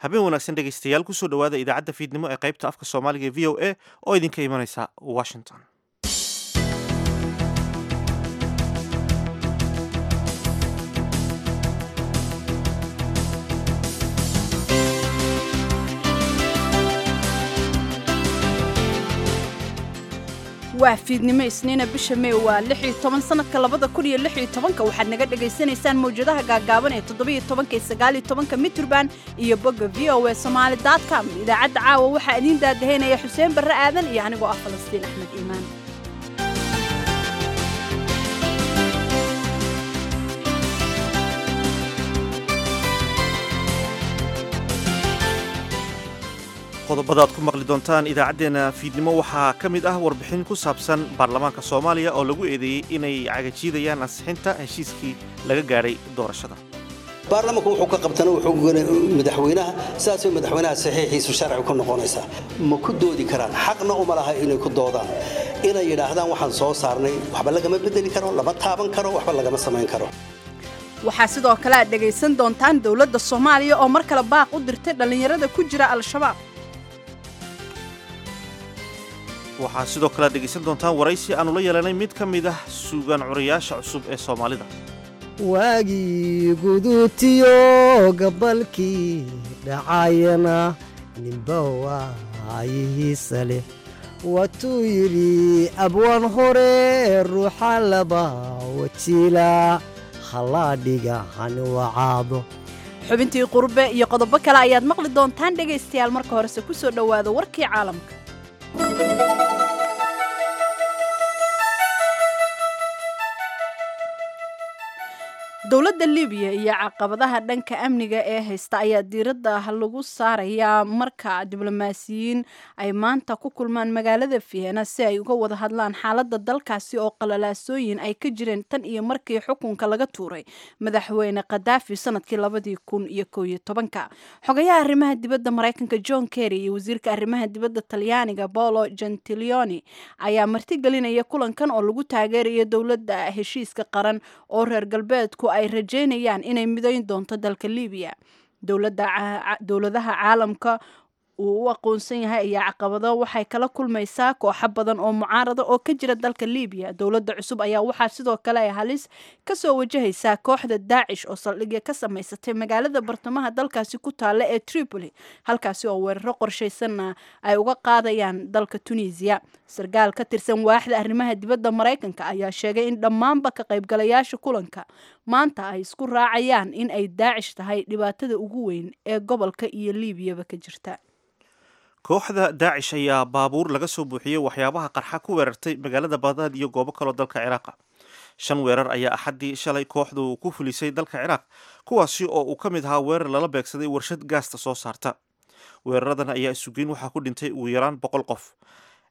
Habeen wanaagsan dhegaystayaal, kusoo dhowaada idaacadda fiidnimo ee qaybta afka Soomaaliga ee VOA oo idinka imanaysa Washington. Waa fiidnimo Isniina, bisha Mey waa 16, sanadka 2016. Waxaad naga dhagaysanaysaan mawjadaha gaagaaban ee 17 iyo 19 miturban iyo bogga voasomali.com. Idaacadda caawa waxaa idiin daadahaynaya Xuseen Barre Aadan iyo anigoo ah Falastiin Axmed Iimaan. Qodobada aad ku maqli doontaan idaacaddeenna fiidnimo waxaa ka mid ah warbixin ku saabsan baarlamaanka Soomaaliya oo lagu eedeeyey inay cagajiidayaan ansixinta heshiiskii laga gaadhay doorashada. Baarlamanku wuxuu ka qabtana wuxuu madaxweynaha, sidaasay madaxweynaha saxiixiisu sharci ku noqonaysaa. Ma ku doodi karaan, xaqna uma laha inay ku doodaan, inay yidhaahdaan waxaan soo saarnay waxba lagama bedeli karo, lama taaban karo, waxba lagama samayn karo. Waxaa sidoo kale aad dhegaysan doontaan dowladda Soomaaliya oo mar kale baaq u dirtay dhallinyarada ku jira Al-Shabaab. Waxaa sidoo kale aad dhegaysan doontaan waraysi aanu la yeelanay mid ka mid ah suugaan curayaasha cusub ee Soomaalida. Waagii guduutiyo gabalkii dhacayana ninba waayihiisa leh, waatuu yidhi abwaan hore ruuxa laba wajiila hallaadhiga hani wacaado. Xubintii qurbe iyo qodobo kale ayaad maqli doontaan dhegaystayaal. Marka horese ku soo dhowaada warkii caalamka. Dowladda Libiya iyo caqabadaha dhanka amniga ee haysta ayaa diiradda lagu saarayaa marka diblomaasiyiin ay maanta ku kulmaan magaalada Vienna si ay uga wada hadlaan xaaladda dalkaasi oo qalalaasooyin ay ka jireen tan iyo markii xukunka laga tuuray madaxweyne Khadaafi sanadkii 2011-ka. Xogayaha arrimaha dibadda Mareykanka John Kerry iyo wasiirka arrimaha dibadda Talyaaniga Paolo Gentiloni ayaa martigelinaya kulankan oo lagu taageerayo dowladda heshiiska qaran oo reer galbeedku ay rajeynayaan inay midayn doonto dalka Libiya. Dowladaha caalamka uu u aqoonsan yahay ayaa caqabado waxay kala kulmaysaa kooxo badan oo mucaarada oo ka jira dalka Libiya. Dowladda cusub ayaa waxaa sidoo kale ay halis kasoo wajahaysaa kooxda Daacish oo saldhigya ka samaysatay magaalada bartamaha dalkaasi ku taalla ee Tripoli, halkaasi oo weeraro qorshaysanna ay uga qaadayaan dalka Tunisiya. Sarkaal ka tirsan waaxda arrimaha dibadda Maraykanka ayaa sheegay in dhammaanba ka qaybgalayaasha kulanka maanta ay isku raacayaan in ay Daacish tahay dhibaatada ugu weyn ee gobolka iyo Liibiyaba ka jirta. Kooxda Daacish ayaa baabuur laga soo buuxiyey waxyaabaha qarxa ku weerartay magaalada Bagdaad iyo goobo kaloo dalka Ciraaqa. Shan weerar ayaa Axaddii shalay kooxdu ku fulisay dalka Ciraaq, kuwaasi oo uu ka mid ahaa weerar lala beegsaday warshad gaasta soo saarta. Weeraradan ayaa isugeyn waxaa ku dhintay ugu yaraan 100 qof.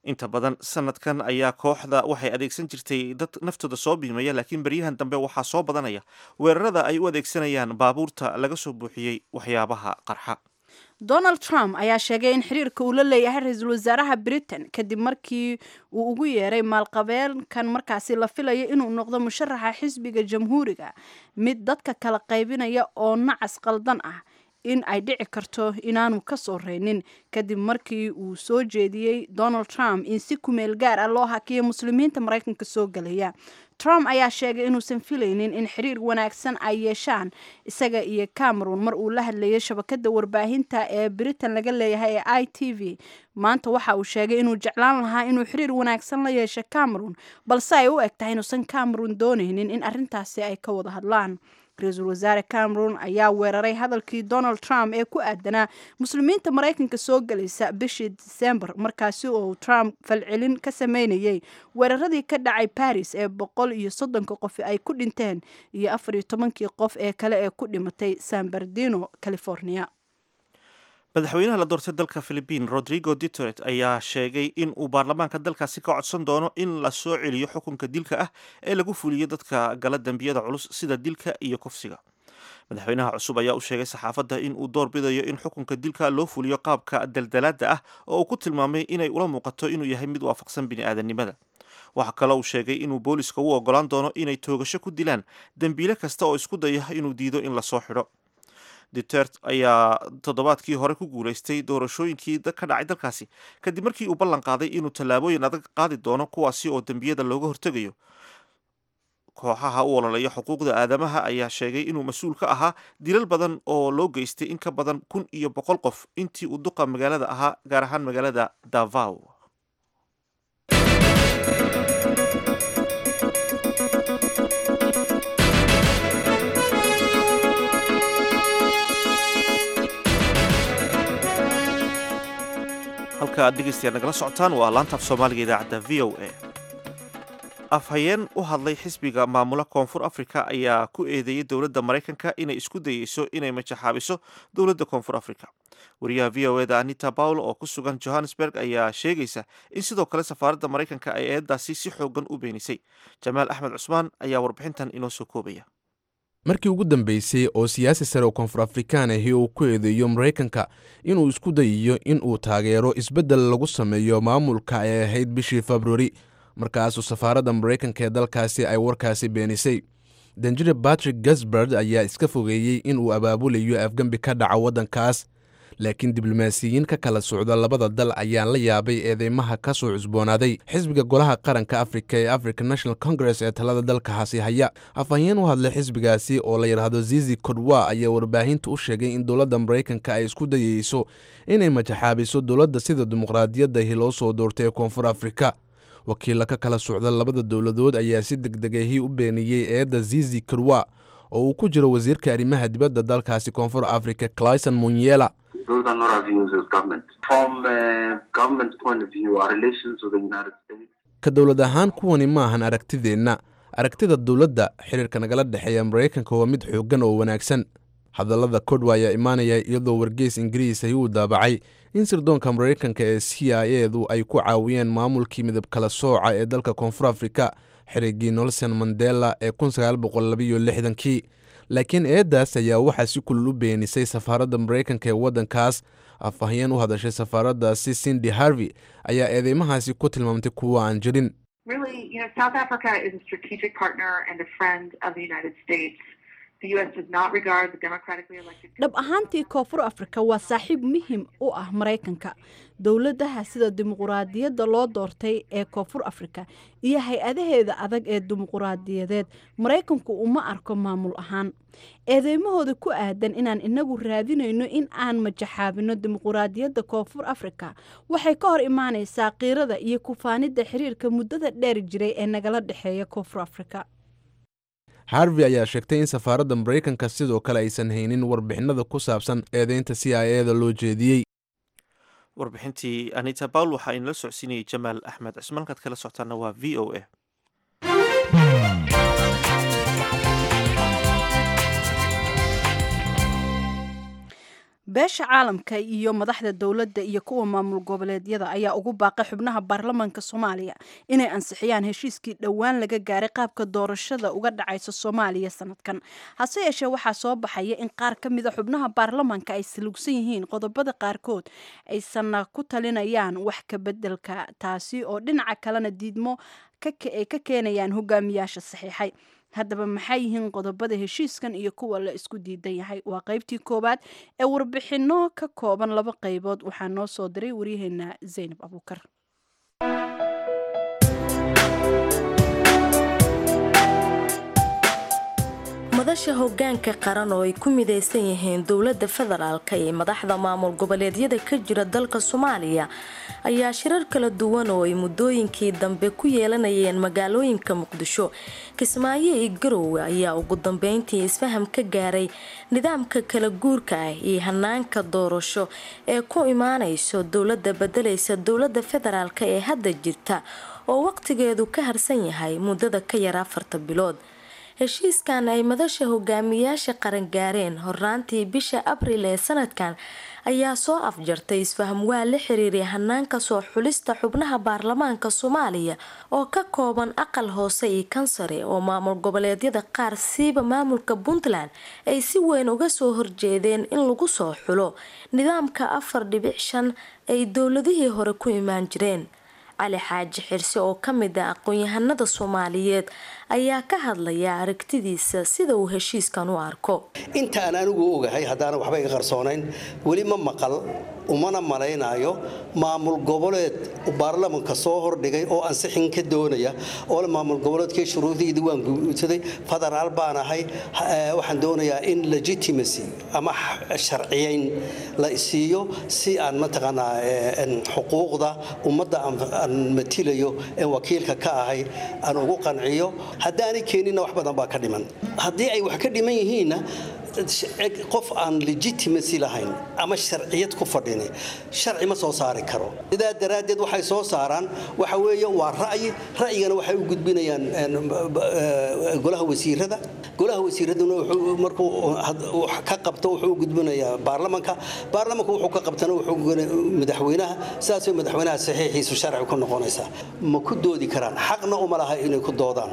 Inta badan sanadkan ayaa kooxda waxay adeegsan jirtay dad naftooda soo biimaya, laakiin beryahan dambe waxaa soo badanaya weerarada ay u adeegsanayaan baabuurta laga soo buuxiyey waxyaabaha qarxa. Donald Trump ayaa sheegay in xiriirka uu la leeyahay ra-iisul wasaaraha Britain kadib markii uu ugu yeeray maalqabeenkan markaasi la filayo inuu noqdo musharaxa xisbiga Jamhuuriga mid dadka kala qaybinaya oo nacas qaldan ah in ay dhici karto inaanu ka soo reynin, kadib markii uu soo jeediyey Donald Trump in si kumeel gaar ah loo hakiyo muslimiinta Maraykanka soo galaya. Trump ayaa sheegay inuusan filaynin in xiriir wanaagsan ay yeeshaan isaga iyo Cameron. Mar uu la hadlayay shabakada warbaahinta ee Britain laga leeyahay ee ITV maanta, waxa uu sheegay inuu jeclaan lahaa inuu xiriir wanaagsan la yeesho Cameron, balse ay u eg tahay inuusan Cameron doonaynin in arrintaasi ay ka wada hadlaan. Ra-iisul wasaare Cameron ayaa weeraray hadalkii Donald Trump ee ku aadanaa muslimiinta Maraykanka soo galaysa bishii Disembar, markaasi oo Trump falcelin ka sameynayay weeraradii ka dhacay Paris ee 130-ka qof ay ku dhinteen iyo 14-kii qof ee kale ee ku dhimatay San Bernardino, California. Madaxweynaha la doortay dalka Philibiin Rodrigo Duterte ayaa sheegay in uu baarlamaanka dalkaasi ka codsan doono in la soo celiyo xukunka dilka ah ee lagu fuliyo dadka gala dembiyada culus sida dilka iyo kufsiga. Madaxweynaha cusub ayaa u sheegay saxaafadda in uu door bidayo in xukunka dilka loo fuliyo qaabka daldalaada ah oo uu ku tilmaamay inay ula muuqato inuu yahay mid waafaqsan bini'aadanimada. Waxaa kaloo uu sheegay inuu booliska u ogolaan doono inay toogasho ku dilaan dembiile kasta oo isku daya inuu diido in lasoo xidho. Duterte ayaa toddobaadkii hore ku guulaystay doorashooyinkii ka dhacay dalkaasi kadib markii uu ballan qaaday inuu tallaabooyin adag qaadi doono, kuwaasi oo dembiyada looga hortegayo. Kooxaha u ololaya xuquuqda aadamaha ayaa sheegay inuu mas-uul ka ahaa dilal badan oo loo geystay in ka badan 1100 qof intii uu duqa magaalada ahaa, gaar ahaan magaalada Davao. Halka aad dhegeystayaal nagala socotaan waa laanta af Soomaaliga, idaacadda VOA. Afhayeen u hadlay xisbiga maamula Koonfur Africa ayaa ku eedeeyey dowladda Maraykanka inay isku dayeyso inay majaxaabiso dowladda Koonfur Africa. Wariyaha VOA da Anita Powell oo ku sugan Johannesburg ayaa sheegaysa in sidoo kale safaaradda Maraykanka ay eedaasi si xoogan u beenisay. Jamaal Axmed Cusmaan ayaa warbixintan inoo soo koobaya. Markii ugu dambeysay oo siyaasi sare oo Koonfur Afrikaan ahi uu ku eedeeyo Maraykanka inuu isku dayayo in uu taageero isbeddel lagu sameeyo maamulka ay ahayd bishii Februari, markaasuu safaaradda Maraykanka ee dalkaasi ay warkaasi beenisay. Danjire Patrick Gasbard ayaa iska fogeeyey inuu abaabulayo afgembi ka dhaca waddankaas, laakiin diblomaasiyiin ka kala socda labada dal ayaan la yaabay eedeymaha ka soo cusboonaaday xisbiga Golaha Qaranka Afrika ee African National Congress ee talada dalkaasi haya. Afhayeen u hadlay xisbigaasi oo la yidhaahdo Zizi Kodwa ayaa warbaahinta u sheegay in dowladda Maraykanka ay isku dayeyso inay majaxaabiso dowladda sida dimuqraadiyaddahi loo soo doortay ee Koonfur Afrika. Wakiilla ka kala socda labada dowladood ayaa si degdegahi u beeniyey eedda Zizi Kodwa, oo uu ku jiro wasiirka arrimaha dibadda dalkaasi Koonfur Afrika, Clayson Munyela. Those are not our views as government. From a government point of view, our relations with the United States. Ka dowlad ahaan, kuwani maahan aragtideenna. Aragtida dowladda, xiriirka nagala dhexeeya Maraykanka waa mid xooggan oo wanaagsan. Hadallada Kodwa ayaa imaanaya iyadoo wargeys Ingiriis ahi uu daabacay in sirdoonka Maraykanka ee CIA du ay ku caawiyeen maamulkii midab kala sooca ee dalka Koonfur Afrika xiriggii Nelson Mandela ee 1962. Laakiin eeddaas ayaa waxaa si kulul u beenisay safaaradda Maraykanka ee waddankaas. Afhayeen u hadashay safaaraddaasi, Cindy Harvey, ayaa eedeymahaasi ku tilmaamtay kuwa aan jirin. Really, South Africa is a strategic partner and a friend of the United States. The U.S. does not regard the democratically elected. Dhab ahaantii, Koonfur Afrika waa saaxiib muhiim u ah Maraykanka. Dowladaha sida dimuquraadiyadda loo doortay ee Koonfur Afrika iyo hay-adaheeda adag ee dimuquraadiyadeed Maraykanku uma arko maamul ahaan. Eedeymahooda ku aadan inaan inagu raadinayno in aan majaxaabino dimuquraadiyadda Koonfur Afrika waxay ka hor imaanaysaa qiirada iyo kufaanidda xiriirka muddada dheer jiray ee nagala dhexeeya Koonfur Afrika. Harvey ayaa sheegtay in safaaradda Maraykanka sidoo kale aysan haynin warbixinada ku saabsan eedeynta CIA da loo jeediyey. Warbixintii Anita Powell waxaa inala socodsiinayay Jamaal Axmed Cismaan. Kaad kala socotaana waa VOA. Beesha caalamka iyo madaxda dowladda iyo kuwa maamul goboleedyada ayaa ugu baaqay xubnaha baarlamaanka Soomaaliya inay ansixiyaan heshiiskii dhowaan laga gaaray qaabka doorashada uga dhacaysa Soomaaliya sanadkan. Hase yeeshee, waxaa soo baxaya in qaar ka mida xubnaha baarlamaanka ay salugsan yihiin qodobada qaarkood, aysanna ku talinayaan wax ka bedelka, taasi oo dhinaca kalena diidmo ay ka keenayaan hogaamiyaasha saxiixay. Haddaba, maxay yihiin qodobada heshiiskan iyo kuwa la isku diidan yahay? Waa qaybtii koowaad ee warbixinno ka kooban laba qaybood. Waxaa noo soo diray waryaheena Zaynab Abuukar. Madasha hogaanka qaran oo ay ku midaysan yihiin dowlada federaalka iyo madaxda maamul goboleedyada ka jira dalka Soomaaliya ayaa shirar kala duwan oo ay muddooyinkii dambe ku yeelanayeen magaalooyinka Muqdisho, Kismaayo iyo Garowe ayaa ugu dambeyntii isfaham ka gaaray nidaamka kala guurka ah iyo hanaanka doorasho ee ku imaanayso dowlada bedelaysa dowlada federaalka ee hadda jirta oo waqtigeedu ka harsan yahay muddada ka yar 4 bilood. Heshiiskan ay madasha hogaamiyaasha qaran gaareen horaantii bisha Abril ee sanadkan ayaa soo afjartay isfahamwaa la xiriiray hanaanka soo xulista xubnaha baarlamaanka Soomaaliya oo ka kooban aqal hoose iyo kan sare, oo maamul goboleedyada qaar, siiba maamulka Puntland, ay si weyn uga soo horjeedeen in lagu soo xulo nidaamka 4.5 ay dowladihii hore ku imaan jireen. Cali Xaaji Xirse oo kamid ah aqoon-yahanada Soomaaliyeed ayaa ka hadlaya aragtidiisa sida uu heshiiskan u arko. Inta aan anigu ogahay, haddaana waxba iga qarsoonayn, weli ma maqal umana malaynayo maamul goboleed baarlamanka soo hordhigay oo ansixin ka doonaya oo maamul goboleedkii shuruudiidii waan guudsaday, federaal baan ahay, waxaan doonayaa in legitimacy ama sharciyeyn la isiiyo si aan mataqaanaa xuquuqda ummadda aan matilayo ee wakiilka ka ahay aan ugu qanciyo. Haddaanay keeninna wax badan baa ka dhiman. Haddii ay wax ka dhiman yihiinna, qof aan legitimacy lahayn ama sharciyad ku fadhini sharci ma soo saari karo. Sidaa daraaddeed waxay soo saaraan waxa weeye waa ra'yi. Ra'yigana waxay u gudbinayaan golaha wasiirada. Golaha wasiiraduna markuu ka qabto wuxuu u gudbinayaa baarlamanka. Baarlamanku wuxuu ka qabtana wuxuu madaxweynaha. Sidaasay madaxweynaha saxiixiisu sharci ku noqonaysaa. Ma ku doodi karaan, xaqna uma laha inay ku doodaan,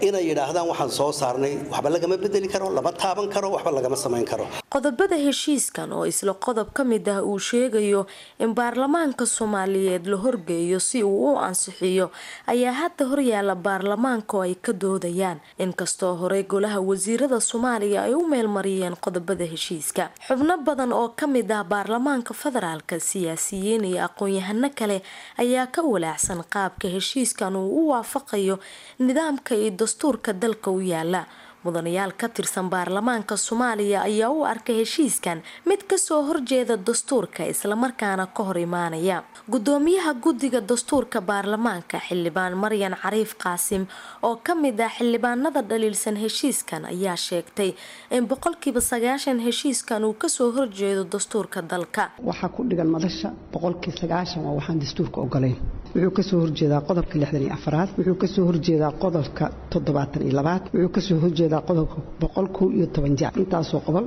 inay yidhaahdaan waxaan soo saarnay waxba lagama bedeli karo, lama taaban karo, waxba lagama samayn karo. Qodobada heshiiskan oo isla qodob ka mid ah uu sheegayo in baarlamaanka Soomaaliyeed la horgeeyo si uu u ansixiyo ayaa hadda horyaala baarlamaanka oo ay ka doodayaan, inkastoo horey golaha wasiirada Soomaaliya ay u meelmariyeen qodobada heshiiska. Xubno badan oo ka mid ah baarlamaanka federaalka, siyaasiyiin iyo aqoon-yahano kale ayaa ka walaacsan qaabka heshiiskan uu u waafaqayo nidaamka iyo dastuurka dalka u yaala. Mudanayaal ka tirsan baarlamaanka Soomaaliya ayaa u arkay heshiiskan mid kasoo horjeeda dastuurka, islamarkaana ka hor imaanaya. Gudoomiyaha guddiga dastuurka baarlamaanka, Xildhibaan Maryan Cariif Qaasim, oo ka mid ah xildhibaanada dhaliilsan heshiiskan, ayaa sheegtay in 90% heshiiskan uu kasoo horjeedo dastuurka dalka. Waxaa ku dhigan madasha 90% waa waxaan dastuurka ogolayn. Wuxuu kasoo horjeedaa qodobka 64aad, wuxuu kasoo horjeedaa qodobka 72aad, wuxuu kasoo horjeedaa qodobka 111 jac. Intaasoo qobol,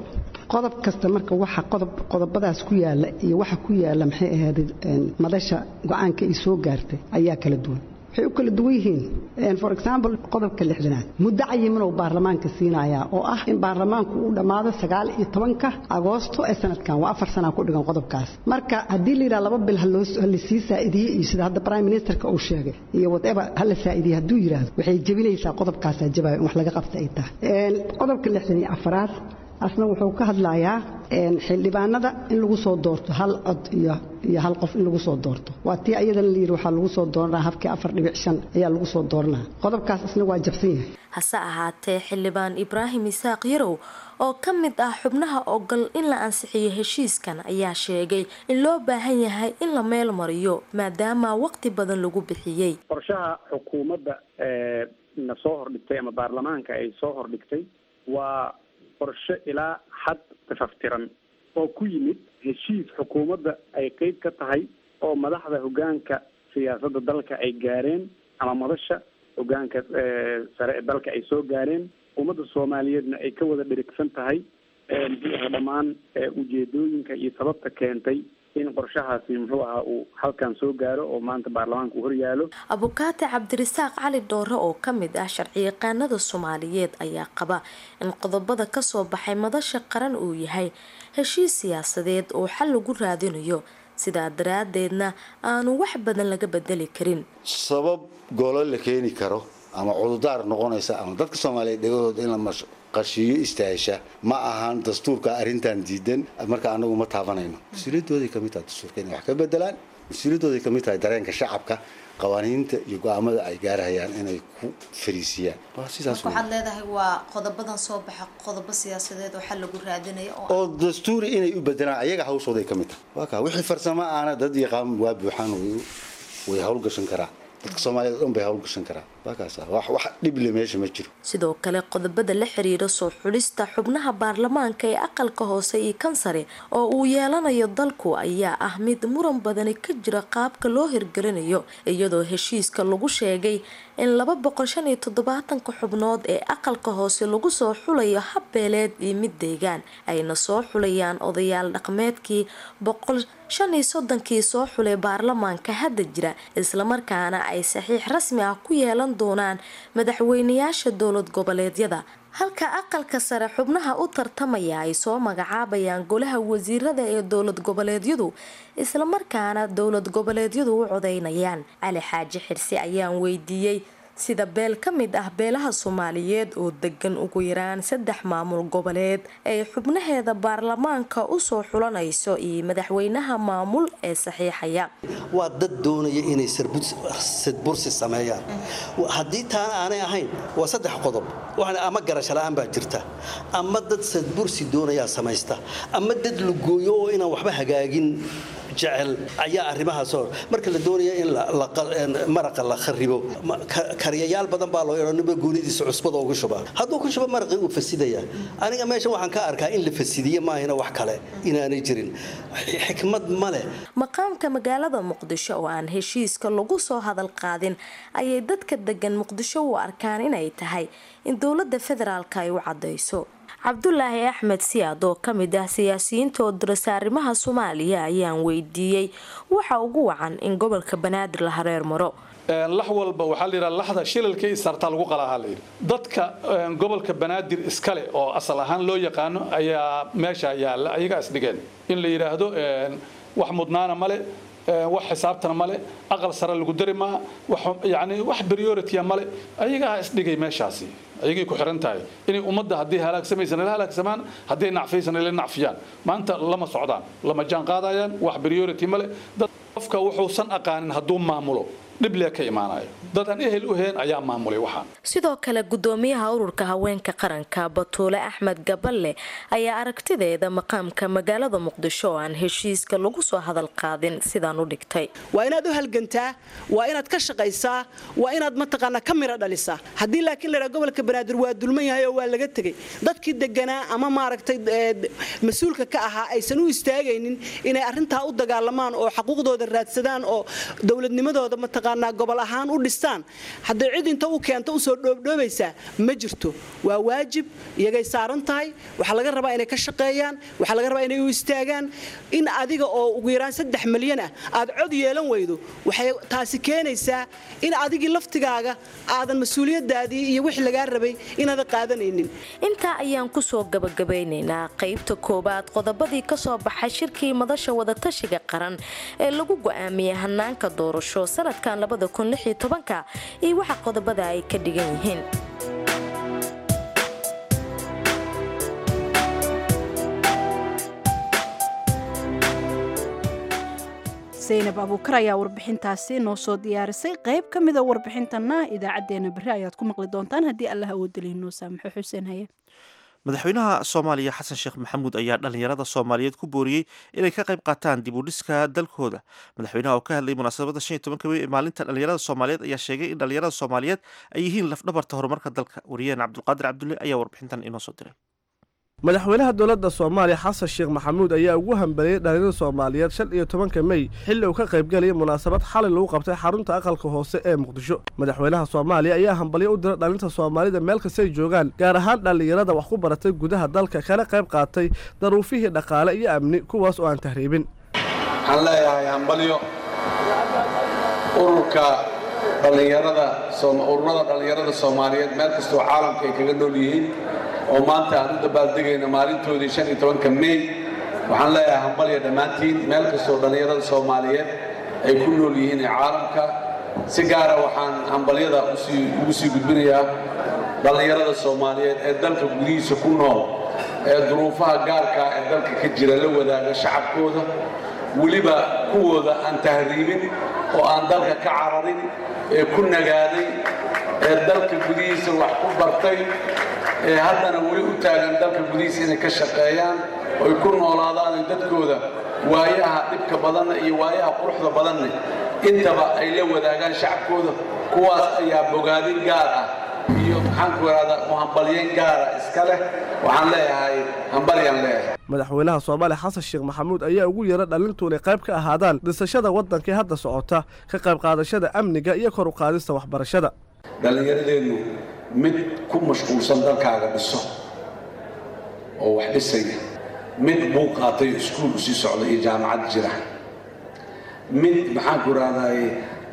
qodob kasta marka waxa qodob qodobadaas ku yaala iyo waxa ku yaala maxay ahayd madasha go-aanka ay soo gaartay ayaa kala duwan. Waxay u kala duwan yihiin, for example, qodobka 60aad muddo cayiman oo baarlamaanka siinayaa oo ah in baarlamaanku uu dhammaado 19-ka Agoosto ee sanadkan. Waa 4 sana ku dhigan qodobkaas. Marka haddii la yidhaha 2 bil haloo hala sii saa'idiye, iyo sida hadda prime ministerka uu sheegay iyo whatever, hala saa'idiye hadduu yidhaahdo, waxay jebinaysaa qodobkaasaa jabayo in wax laga qabta ay tahay. Qodobka 64aad asna wuxuu ka hadlayaa xildhibaanada in lagu soo doorto hal cod iyo hal qof in lagu soo doorto. Waa tii ayadana la yidhi waxaa lagu soo dooranaa habkii 4.5 ayaa lagu soo dooranaa. Qodobkaas isna waa jabsan yahay. Hase ahaatee, Xildhibaan Ibraahim Isaaq Yarow oo ka mid ah xubnaha ogol in la ansixiyo heshiiskan ayaa sheegay in loo baahan yahay in la meel mariyo maadaama waqti badan lagu bixiyey. Qorshaha xukuumadda na soo hordhigtay ama baarlamaanka ay soo hordhigtay waa qorshe ilaa xad tafaftiran oo ku yimid heshiis xukuumadda ay qeyb ka tahay oo madaxda hoggaanka siyaasadda dalka ay gaareen ama madasha hoggaanka sare ee dalka ay soo gaareen, ummadda Soomaaliyeedna ay ka wada dherigsan tahay muxuu ahaa dhammaan ujeedooyinka iyo sababta keentay in qorshahaasi muxuu ahaa uu halkan soo gaaro oo maanta baarlamaanka uu horyaalo. Abukaate Cabdirasaaq Cali Dhoore oo ka mid ah sharciyaqaanada Soomaaliyeed ayaa qaba in qodobada kasoo baxay madasha qaran uu yahay heshiis siyaasadeed oo xal lagu raadinayo, sidaa daraadeedna aanu wax badan laga bedeli karin. Sabab golo la keeni karo ama cududaar noqonaysa ama dadka Soomaaliyeed dhegahooda in la qashiyo istaahisha ma ahan. Dastuurka arrintan diidan, marka anagu ma taabanayno. Mas-uuliyadooday ka mid tahay dastuurka inay wax ka bedelaan, mas-uuliyadooday ka mid tahay dareenka shacabka qawaaniinta iyo go-aamada ay gaarahayaan inay ku fariisiyaan. Waa sidaas. Waxaad leedahay waa qodobadan soo baxa qodobo siyaasadeed oo xal lagu raadinayo. Oo dastuuri inay u bedelaan ayaga hawshooday ka mid tahay. Waa kaa wixii farsamo aana dad yaqaan waa buuxaan, way howlgashan karaa, dadka Soomaaliyeed dhan bay howlgashan karaa. Waa kaas, wax dhib le meesha ma jiro. Sidoo kale, qodobada la xiriira soo xulista xubnaha baarlamaanka ee aqalka hoose iyo kan sare oo uu yeelanayo dalku ayaa ah mid muran badani ka jira qaabka loo hirgelinayo, iyadoo heshiiska lagu sheegay in 275-ka xubnood ee aqalka hoose lagu soo xulayo hab beeleed iyo mid deegaan, ayna soo xulayaan odayaal dhaqameedkii 135-kii soo xulay baarlamaanka hadda jira, islamarkaana ay saxiix rasmi ah ku yeelan doonaan madaxweynayaasha dowlad goboleedyada, halka aqalka sare xubnaha u tartamaya ay soo magacaabayaan golaha wasiirada ee dowlad goboleedyadu, islamarkaana dowlad goboleedyadu u codeynayaan. Cali Xaaji Xirsi ayaan weydiiyey Sida beel ka mid ah beelaha Soomaaliyeed oo degan ugu yaraan 3 maamul goboleed ay xubnaheeda baarlamaanka usoo xulanayso iyo madaxweynaha maamul ee saxiixaya. Waa dad doonaya inay sadbursi sameeyaan. Haddii taana aanay ahayn, waa 3 qodob. Ama garasho la'aan baa jirta, ama dad sadbursi doonayaa samaysta, ama dad lugooyo oo inaan waxba hagaagin jecel ayaa arrimahaas hor. Marka la doonaya in maraqa la kharibo, kariyayaal badan baa loo yeedho, ninba goonidiisa cusbada ugu shuba. Hadduu ku shubo maraqii, uu fasidaya. Aniga meeshan waxaan ka arkaa in la fasidiye maahina wax kale inaanay jirin, xikmad ma leh. Maqaamka magaalada Muqdisho oo aan heshiiska lagu soo hadal qaadin ayay dadka degan Muqdisho u arkaan inay tahay in dowlada federaalka ay u cadayso. Cabdulaahi Axmed Siyaad oo kamid ah siyaasiyiinta oo dirasa arrimaha Soomaaliya ayaan weydiiyey waxa ugu wacan in gobolka Banaadir la hareer maro. Lax walba waxaa la yidhaha laxda shilalka isartaa lagu qalaahaa la yidhi. Dadka gobolka Banaadir iskale oo asal ahaan loo yaqaano ayaa meesha yaalla, ayagaa isdhigeen in la yidhaahdo wax mudnaana male, wax xisaabtana male, aqal sare lagu dari maa, yani wax priority male, ayagaa isdhigay meeshaasi. Ayagay ku xiran tahay inay ummadda haddii halaagsamaysan la halaagsamaan, haddii nacfaysan la nacfiyaan. Maanta lama socdaan, lama jaan qaadayaan, wax priority male. Dad qofka wuxuusan aqaanin hadduu maamulo, dhib lee ka imaanayo. Dad aan ehel u heen ayaa maamulay waxaan. Sidoo kale gudoomiyaha ururka haweenka qaranka Batuule Axmed Gaballe ayaa aragtideeda maqaamka magaalada Muqdisho oo aan heshiiska lagu soo hadal qaadin sidaan u dhigtay. Waa inaad u halgantaa, waa inaad ka shaqaysaa, waa inaad mataqaanaa ka miro dhalisaa. Haddii laakiin la yidhaha gobolka Banaadir waa dulman yahay oo waa laga tegey, dadkii deganaa ama maaragtay mas-uulka ka ahaa aysan u istaagaynin inay arrintaa u dagaalamaan oo xaquuqdooda raadsadaan oo dowladnimadooda mataqaanaa gobol ahaan u dhistaan, hadday cid inta u keento usoo dhoobdhoobaysaa ma jirto. Waa waajib iyagay saaran tahay. Waxaa laga rabaa inay ka shaqeeyaan, waxaa laga rabaa inay u istaagaan. In adiga oo ugu yaraan 3 milyan ah aad cod yeelan weydo, waxay taasi keenaysaa in adigii laftigaaga aadan mas-uuliyadaadii iyo wixii lagaa rabay inaadan qaadanaynin. Intaa ayaan kusoo gabagabeynaynaa qaybta koowaad qodobadii kasoo baxay shirkii madasha wadatashiga qaran ee lagu go'aamiyey hanaanka doorasho sanadkan 2016 iyo waxa qodobada ay ka dhigan yihiin. Zaynab Abuukar ayaa warbixintaasi noo soo diyaarisay. Qayb ka mida warbixintana idaacadeena berri ayaad ku maqli doontaan haddii Allah awoodalihi noo saamaxo. Xuseen haye. Madaxweynaha Soomaaliya Xasan Sheekh Maxamuud ayaa dhalinyarada Soomaaliyeed ku booriyey inay ka qayb qaataan dib u dhiska dalkooda. Madaxweynaha oo ka hadlay munaasabadda 15-ka Mey ee maalinta dhalinyarada Soomaaliyeed ayaa sheegay in dhalinyarada Soomaaliyeed ay yihiin lafdhabarta horumarka dalka. Wariyaheen Cabdulqaadir Cabdulle ayaa warbixintan inoo soo diray. Madaxweynaha dowladda Soomaaliya Xasan Sheekh Maxamuud ayaa ugu hambaliyey dhalinyarada Soomaaliyeed 15-ka Mey xilli uu ka qaybgalayay munaasabad xalay lagu qabtay xarunta aqalka hoose ee Muqdisho. Madaxweynaha Soomaaliya ayaa hambalyo u diray dhalinta Soomaalida meel kastay joogaan, gaar ahaan dhallinyarada wax ku baratay gudaha dalka kana qayb qaatay daruufihii dhaqaale iyo amni, kuwaas oo aan tahriibin. Waxaan leeyahay hambalyo ururka dhallinyarada, ururada dhallinyarada Soomaaliyeed meel kastoo caalamka ay kaga nool yihiin oo maanta aan u dabaaldegayno maalintoodii 15-ka Mey. Waxaan leeyahay hambalya dhammaantiin meel kastoo dhallinyarada Soomaaliyeed ay ku nool yihiin ee caalamka. Si gaara waxaan hambalyada ugu sii gudbinayaa dhallinyarada Soomaaliyeed ee dalka gudihiisa ku nool ee duruufaha gaarkaa ee dalka ka jira la wadaaga shacabkooda, weliba kuwooda aan tahriibin oo aan dalka ka cararin ee ku nagaaday ee dalka gudihiisa wax ku bartay ee haddana weli u taagan dalka gudihiisa inay ka shaqeeyaan oy ku noolaadaan oy dadkooda waayaha dhibka badanna iyo waayaha quruxda badanna intaba ay la wadaagaan shacabkooda. Kuwaas ayaa bogaadin gaar ah iyo maxaanku ihahdaa muhambalyeyn gaara iska leh. Waxaan leeyahay hambalyaan leeyahay. Madaxweynaha Soomaaliya Xasan Sheekh Maxamuud ayaa ugu yeeray dhalintu inay qayb ka ahaadaan dhisashada waddankii hadda socota, ka qayb qaadashada amniga iyo kor u qaadista waxbarashada. Dhallinyaradeennu mid ku mashquulsan dalkaaga dhiso oo wax dhisaya, mid buu qaatay iskuul usii socda iyo jaamacad jira, mid maxaanku ihahdaye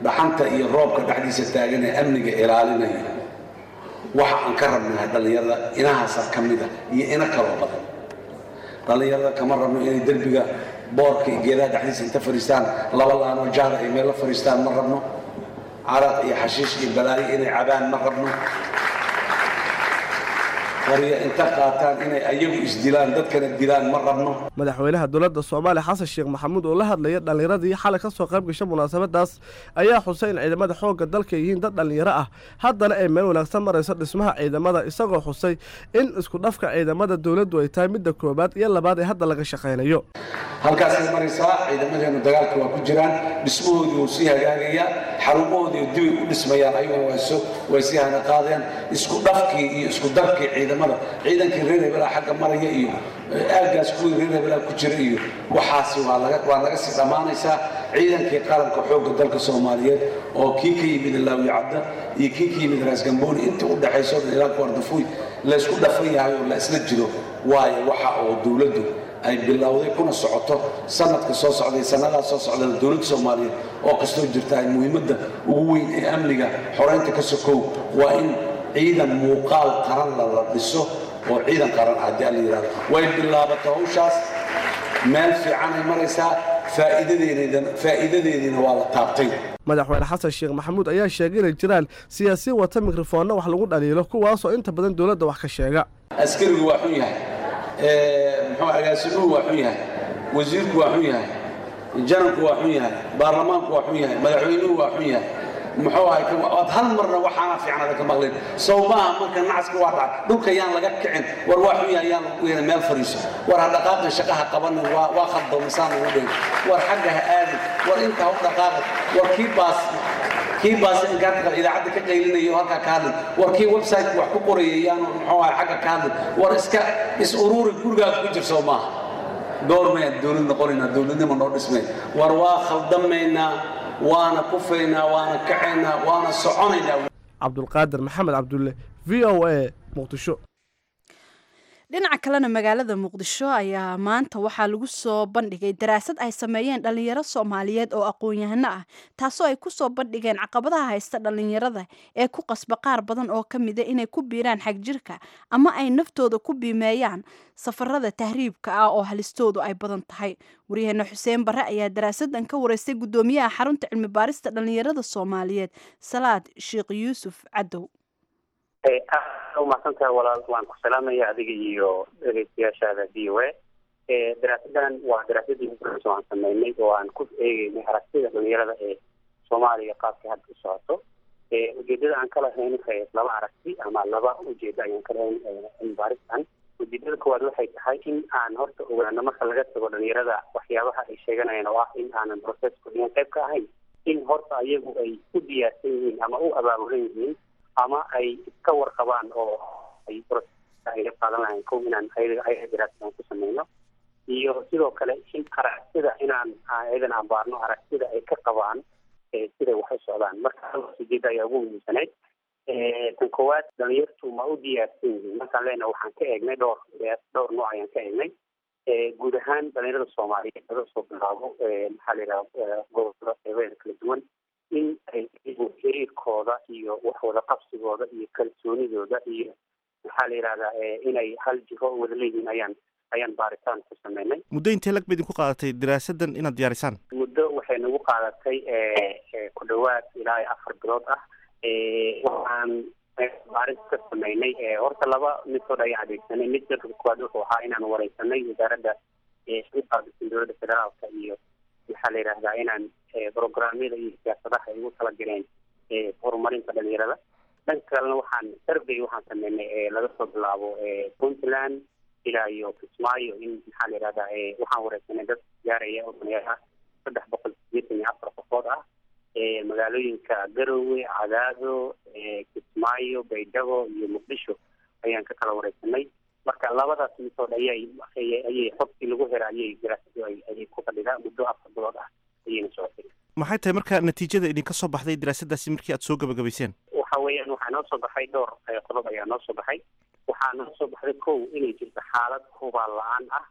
dhaxanta iyo roobka dhexdiisa taagan ee amniga ilaalinaya. Waxa aan ka rabnahay dhallinyarada inahaasaa ka mida iyo ina kaloo badan. Dhallinyarada kama rabno inay derbiga boorka iyo geedaha dhexdiisa inta fadhiistaan, laba laanoo jaara ay meel la fadhiistaan ma rabno. Caraq iyo xashiish iyo balaayo inay cabaan ma rabno. Qoryo inta qaataan inay ayagu isdilaan, dadkana dilaan ma rabno. Madaxweynaha dowladda Soomaaliya Xasan Sheekh Maxamuud oo la hadlaya dhallinyaradii xalay ka soo qayb gasha munaasabadaas ayaa xusay in ciidamada xoogga dalka yihiin dad dhallinyaro ah, haddana ay meel wanaagsan marayso dhismaha ciidamada, isagoo xusay in isku dhafka ciidamada dowladdu ay tahay midda koowaad iyo labaad ee hadda laga shaqaynayo. Halkaasay maraysaa. Ciidamadeenu dagaalka waa ku jiraan, dhismahoodii wuu sii hagaagayaa, xarumahoodii dibay u dhismayaan, ayaguna way sii hana qaadayaan. Isku dhafkii iyo isku darkii ciidamada, ciidankii reer hebelaa xagga maraya iyo aaggaas kuwii reer hebelaa ku jira iyo waxaasi waa naga sii dhammaanaysaa. Ciidankii qaranka xoogga dalka Soomaaliyeed oo kii ka yimid Laawi Cadda iyo kii ka yimid Raas Gambooni intii u dhaxayso dhan ilaa Kuardafuy laysku dhafan yahay oo la isla jiro, waayo waxa oo dowladdu ay bilowday kuna socoto sanadka soo socday, sanadaha soo socdana dowladda Soomaaliyeed oo kastoo jirta ay muhiimadda ugu weyn ee amniga xoreynta ka sokow waa in ciidan muuqaal qaran la dhiso oo ciidan qaran ah, haddii alla yidhahdo. Way bilaabatay hawshaas, meel fiicanay maraysaa, faa'iidadeediina waa la taabtay. Madaxweyne Xasan Sheekh Maxamuud ayaa sheegay inay jiraan siyaasiyin wata mikrofoonna wax lagu dhaliilo, kuwaasoo inta badan dowladda wax ka sheega. Askarigu waa xun yahay, muxuu agaasimuhu waa xun yahay, wasiirku waa xun yahay, janabku waa xun yahay, baarlamaanku waa xun yahay, madaxweynuhu waa xun yahay, muxuu ahay waad hal marna waxaana fiican adan ka maqlin sow maaha? Marka nacaska waa dhacay, dhulka yaan laga kicin, war waa xun yahay yaan lagu yeelin, meel fariiso, war ha dhaqaaqin, shaqaha qabanin, waa khaldoomisaan lagu dhihin, war xagga ha aadin, war inta ha u dhaqaaqin, war kii baas inkaarta qaba idaacadda ka qaylinayo halkaa ka hadlin, war kii website wax ku qorayay yaanu muxuu ahay xagga ka hadlin, war iska is uruuri, gurigaaga ku jir, soo maaha? Goormayaan dowlad noqonaynaa? Dowladnimo noo dhismay. War waa khaldamaynaa, waana kufaynaa, waana kacaynaa, waana soconaynaa. Cabdulqaadir Maxamed Cabdulle, VOA, Muqdisho. Dhinaca kalena, magaalada Muqdisho ayaa maanta waxaa lagu soo bandhigay daraasad ay sameeyeen dhalinyaro Soomaaliyeed oo aqoon-yahano ah, taasoo ay kusoo bandhigeen caqabadaha haysta dhalinyarada ee ku qasba qaar badan oo ka mida inay ku biiraan xagjirka ama ay naftooda ku biimeeyaan safarada tahriibka ah oo halistoodu ay badan tahay. Waryaheena Xuseen Barre ayaa daraasadan ka wareystay guddoomiyaha xarunta cilmi baarista dhalinyarada Soomaaliyeed, Salaad Sheekh Yuusuf Cadow. Aad umahadsantahay walaal, waan ku salaamaya adiga iyo dhegeystayaashaada VOA. Daraasadan waa daraasadii ugu horeysa oo aan sameynay oo aan ku eegeynay aragtida dhalinyarada ee Soomaaliya qaabkay hadda u socoto. Ujeedada aan ka lahayn waxay ahayd laba aragti ama laba ujeedo ayaan ka lahayn cilmi baaristan. Ujeedada koowaad waxay tahay in aan horta ogaano, marka laga tago dhalinyarada waxyaabaha ay sheeganayaan oo ah in aanan processka dhigan qayb ka ahayn, in horta ayagu ay u diyaarsan yihiin ama u abaabulan yihiin ama ay iska warqabaan oo ay processka ay la qaadan lahayn. Kow, inaan ayaga daraasad ku sameyno, iyo sidoo kale in aragtida inaan ayadan abaarno aragtida ay ka qabaan siday wax u socdaan. Marka halkaas ujeeda ayaa ugu muhiimsanayd. Tan koowaad, dhalinyartu ma u diyaarsan yihiin markaan leenahay, waxaan ka eegnay dhowr nooc ayaan ka eegnay. Guud ahaan dhalinyarada Soomaaliyeed laga soo bilaabo, maxaa la yidhaha, gobolada qeybaheeda kala duwan, in ay iyagu xiriirkooda iyo wax wada qabsigooda iyo kalsoonidooda iyo, maxaa la yidhahdaa, inay hal jiho wada leeyihiin ayaan baaritaan ku sameynay. Muddo intee lag ba idinku qaadatay daraasadan inaad diyaarisaan? Muddo waxay nagu qaadatay ku dhawaad ilaa iyo 4 bilood ah. Waxaan baaris ka sameynay horta laba method ayaan adeegsanay. Mid koowaad wuxuu ahaa inaan wareysanay wasaaradda u qaabilsan dowladda federaalka iyo, maxaa la yidhahdaa, inaan programyada iyo siyaasadaha ay ugu talagaleen horumarinta dhalinyarada. Dhanka kalena waxaan survey waxaan sameynay laga soo bilaabo Puntland ilaa iyo Kismaayo, in, maxaa la yidhahdaa, waxaan wareysanay dad gaaraya oo dhalinyaro ah 384 qofood ah, magaalooyinka Garowe, Cadaado, Kismaayo, Baydhabo iyo Muqdisho ayaan ka kala wareysanay. Marka labadaas method ayay xogtii lagu hela ayay daraasadu ayay ku fadhidaa. Muddo 4 bilood ah ayayna socotay. Maxay tahay marka natiijada idinka soo baxday daraasadaasi markii aad soo gabagabayseen? Waxa weeyaan, waxaa noo soo baxay dhowr qodob ayaa noo soo baxay. Waxaa noo soo baxday, kow, inay jirto xaalad hubaal la-aan ah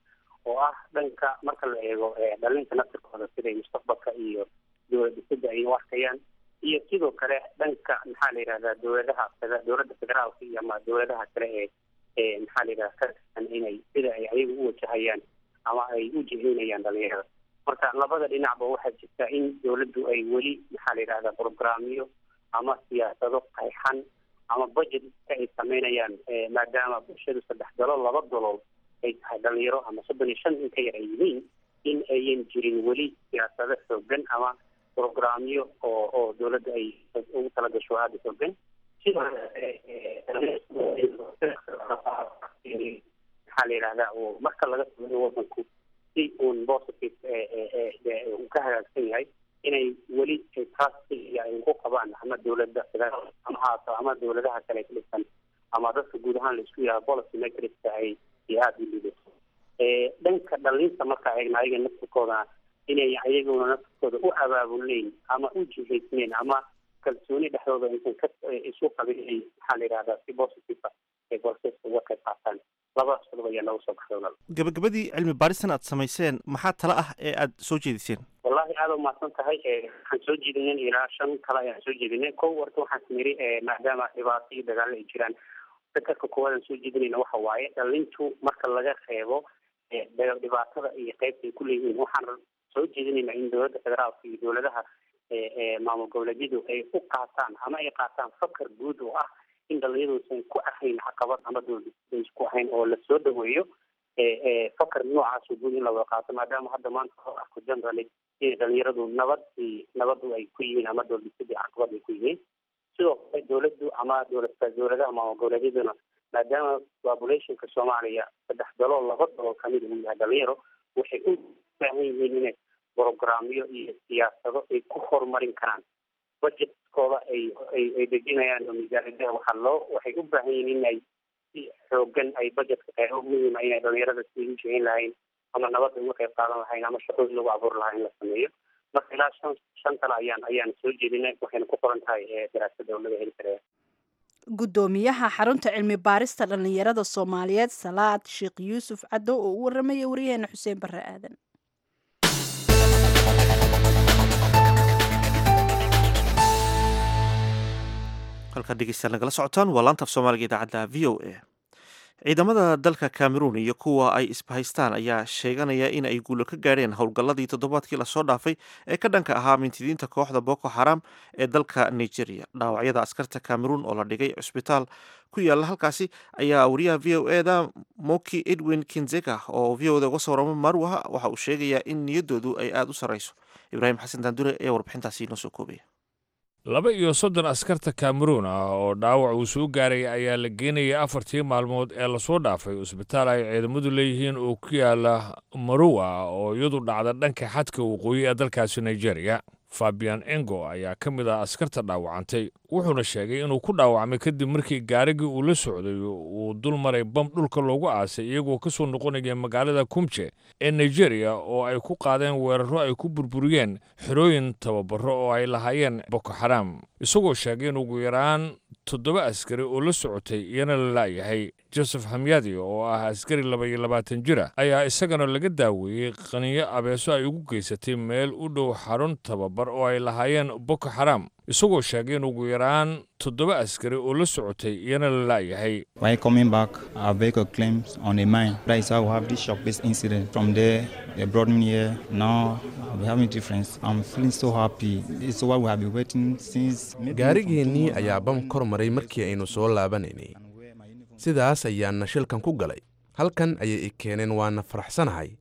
oo ah dhanka marka la eego dhalinta naftirkooda, siday mustaqbalka iyo dowlad dhisida ay u arkayaan, iyo sidoo kale dhanka, maxaa la yidhahdaa, dowladaha, dowladda federaalka iyo ama dowladaha kale ee, maxaa la yidhahda, ka tirsan, inay sida ay ayagu u wajahayaan ama ay u jihaynayaan dhalinyarada. Marka labada dhinacba waxaa jirta in dowladdu ay weli, maxaa la yidhahdaa, programyo ama siyaasado qayxan ama budget ay sameynayaan, maadaama bulshadu 3 dalool 2 dalool ay tahay dhalinyaro ama 35 in ka yar ay yihiin, in ayan jirin weli siyaasado xoogan ama programyo oo dowladda ay ugu talagasho aada u xoogan. Sidoo maxaa la yidhahdaa, oo marka laga sameeyo wadanku si uun positive uu ka hagaagsan yahay, inay weli trust ay ku qabaan ama dowladda federaal ama haato ama dowladaha kale ka dhisan ama dadka guud ahaan la isku yaha policy makerska ay aada u liidato. Dhanka dhalinta marka eegna, ayaga naftirkoodana inay ayaguna naftirkooda u abaabulneyn ama u jihaysneyn ama kalsooni dhexdooda aysan ka isu qabin inay maxaa la yidhahdaa si positive ay processka uga qayb qaataan. Labadaas qodob ayaa nooga soo baxday walaal. Gabagabadii, cilmi baaristan aad samayseen maxaa tala ah ee aad soo jeediseen? Wallahi aada umahadsan tahay. Waxaan soo jeedinay ilaa 5 tala ayaan soo jeedinay. Kow, horta waxaan niri maadaama dhibaato iyo dagaallo ay jiraan, fakarka koowaad aan soo jeedinayna waxa waaye dhalintu marka laga reebo dhibaatada iyo qaybta ay ku leeyihiin, waxaan soo jeedinaynaa in dowladda federaalka iyo dowladaha maamul goboleedyadu ay u qaataan ama ay qaataan fakar guud oo ah in dhalinyaduusan ku ahayn caqabad ama dowladaysan ku ahayn, oo lasoo dhaweeyo fakar noocaas oo guud in la wada qaato, maadaama hadda maanta loo arko generally inay dhalinyaradu nabad nabadu ay ku yihiin ama dowladhisidii caqabad ay ku yihiin. Sidoo kale dowladdu ama dowladaha maamul goboleedyaduna, maadaama populationka Soomaaliya 3 dalool 2 dalool kamid uu yahay dhalinyaro, waxay u baahan yihiin inay programyo iyo siyaasado ay ku horumarin karaan budgetkooda ay dejinayaan oo miisaaniyadaha waxaa loo waxay u baahan yihiin in ay si xoogan ay budgetka qaybo muhiima inay dhalinyarada si u jihin lahayn ama nabadda uga qayb qaadan lahayn ama shaqooyin lagu abuuri lahaa in la sameeyo. Marka ilaa 5 tala ayaan soo jeedinay, waxayna ku qoran tahay daraasadda oo laga heli karaya. Guddoomiyaha xarunta cilmi baarista dhallinyarada Soomaaliyeed Salaad Sheekh Yuusuf Caddow oo u waramaya wariyaheena Xuseen Barre Aadan. Halkaad dhegeystayaal nagala socotaan waa laanta af Soomaaliga idaacadda VOA. Ciidamada dalka Cameroon iyo kuwa ay isbahaystaan ayaa sheeganaya in ay guulo ka gaadheen howlgalladii toddobaadkii lasoo dhaafay ee ka dhanka ahaa mintidiinta kooxda Boko Haram ee dalka Nigeria. Dhaawacyada askarta Cameroon oo la dhigay cusbitaal ku yaala halkaasi ayaa wariyaha VOA da Moki Edwin Kinzeka oo VOA da uga soo warama Marwaha waxa uu sheegayaa in niyaddoodu ay aada u sarreyso. Ibraahim Xasan Daandure ayaa warbixintaasi inoo soo koobaya. 32 askarta Kameruun ah oo dhaawac uu soo gaaray ayaa la geenayay 4tii maalmood ee lasoo dhaafay cusbitaal ay ciidamadu leeyihiin oo ku yaala Maruwa, oo iyadu dhacda dhanka xadka waqooyi ee dalkaasi Nigeria. Fabian Engo ayaa ka mid ah askarta dhaawacantay, wuxuuna sheegay inuu ku dhaawacmay kadib markii gaarigii uu la socday uu dul maray bam dhulka loogu aasay, iyagoo ka soo noqonaya magaalada Kumje ee Nigeria oo ay ku qaadeen weerarro ay ku burburiyeen xerooyin tababaro oo ay lahaayeen Boko Xaram, isagoo sheegay in ugu yaraan 7 askari oo la socotay iyana la la'yahay. Joseph Hamyadi oo ah askari 22 jir ah ayaa isagana laga daaweeyey qaniyo abeeso ay ugu geysatay meel u dhow xarun tababar oo ay lahaayeen Boko Xaram, isagoo sheegay in ugu yaraan 7 askari oo la socotay iyana la la'yahay. While coming back, our vehicle claims on a mine. That is how we have this shock, this incident. From there, they brought me here. Now we're having difference. I'm feeling so happy. This is what we have been waiting since. Gaarigeennii ayaa bam kor maray markii aynu soo laabanaynay, sidaas ayaana shilkan ku galay. Halkan ayay i keeneen, waana faraxsanahay.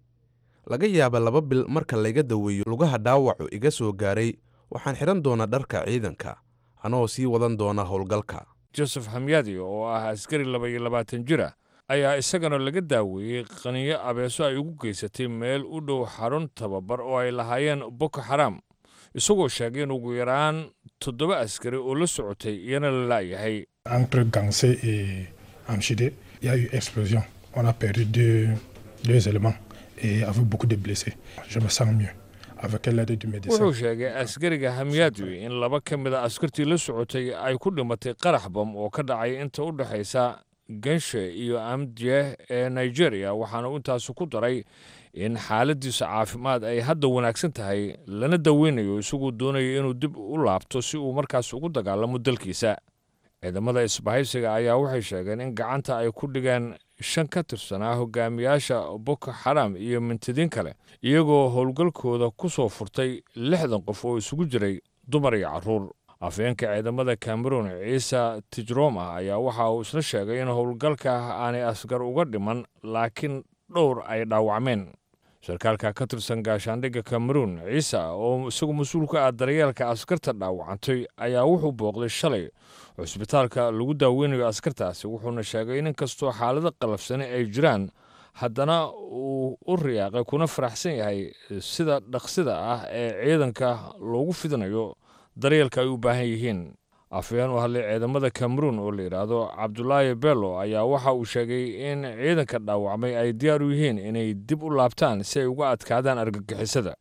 Laga yaaba 2 bil marka layga daweeyo lugaha dhaawacu iga soo gaaray, waxaan xidhan doonaa dharka ciidanka anoo sii wadan doona howlgalka. Joseph Hamyadi oo ah askari 22 jir ah ayaa isagana laga daaweeyey qaniyo abeeso ay ugu geysatay meel u dhow xarun tababar oo ay lahaayeen Boko Xaram, isagoo sheegay in ugu yaraan 7 askari oo la socotay iyana la la'yahay. Entre Gansé et Amchidé, il y a eu explosion. On a perdu deux éléments et avec beaucoup de blessés. Je me sens mieux avec l'aide du médecin. Wuxuu sheegay askariga Hamyadwi in 2 ka mid a askartii la socotay ay ku dhimatay qarax bam oo ka dhacay inta u dhexaysa Ganshe iyo Amdje ee Nigeria, waxaana intaasi ku daray in xaaladiisa caafimaad ay hadda wanaagsan tahay lana daweynayo, isagoo doonayo inuu dib u laabto si uu markaas ugu dagaalamo dalkiisa. Ciidamada isbahaysiga ayaa waxay sheegeen in gacanta ay ku dhigeen 5 ka tirsanaa hogaamiyaasha Boko Xaram iyo mintidiin kale, iyagoo howlgalkooda ku soo furtay 60 qof oo isugu jiray dumar iyo carruur. Afhayeenka ciidamada Cameroon Ciise Tijroma ayaa waxa uu isna sheegay in howlgalka aanay askar uga dhiman, laakiin dhowr ay dhaawacmeen. Sarkaalka ka tirsan gaashaandhigga Cameroon Ciise, oo isagu mas-uul ka ah daryeelka askarta dhaawacantay, ayaa wuxuu booqday shalay cusbitaalka lagu daaweynayo askartaasi, wuxuuna sheegay in inkastoo xaalado qalafsani ay jiraan, haddana uu u riyaaqay kuna faraxsan yahay sida dhaqsida ah ee ciidanka loogu fidinayo daryeelka ay u baahan yihiin. Afhayeen u hadlay ciidamada Cameroon oo la yidhaahdo Cabdulaahi Bello ayaa waxa uu sheegay in ciidanka dhaawacmay ay diyaar u yihiin inay dib u laabtaan si ay uga adkaadaan argagixisada.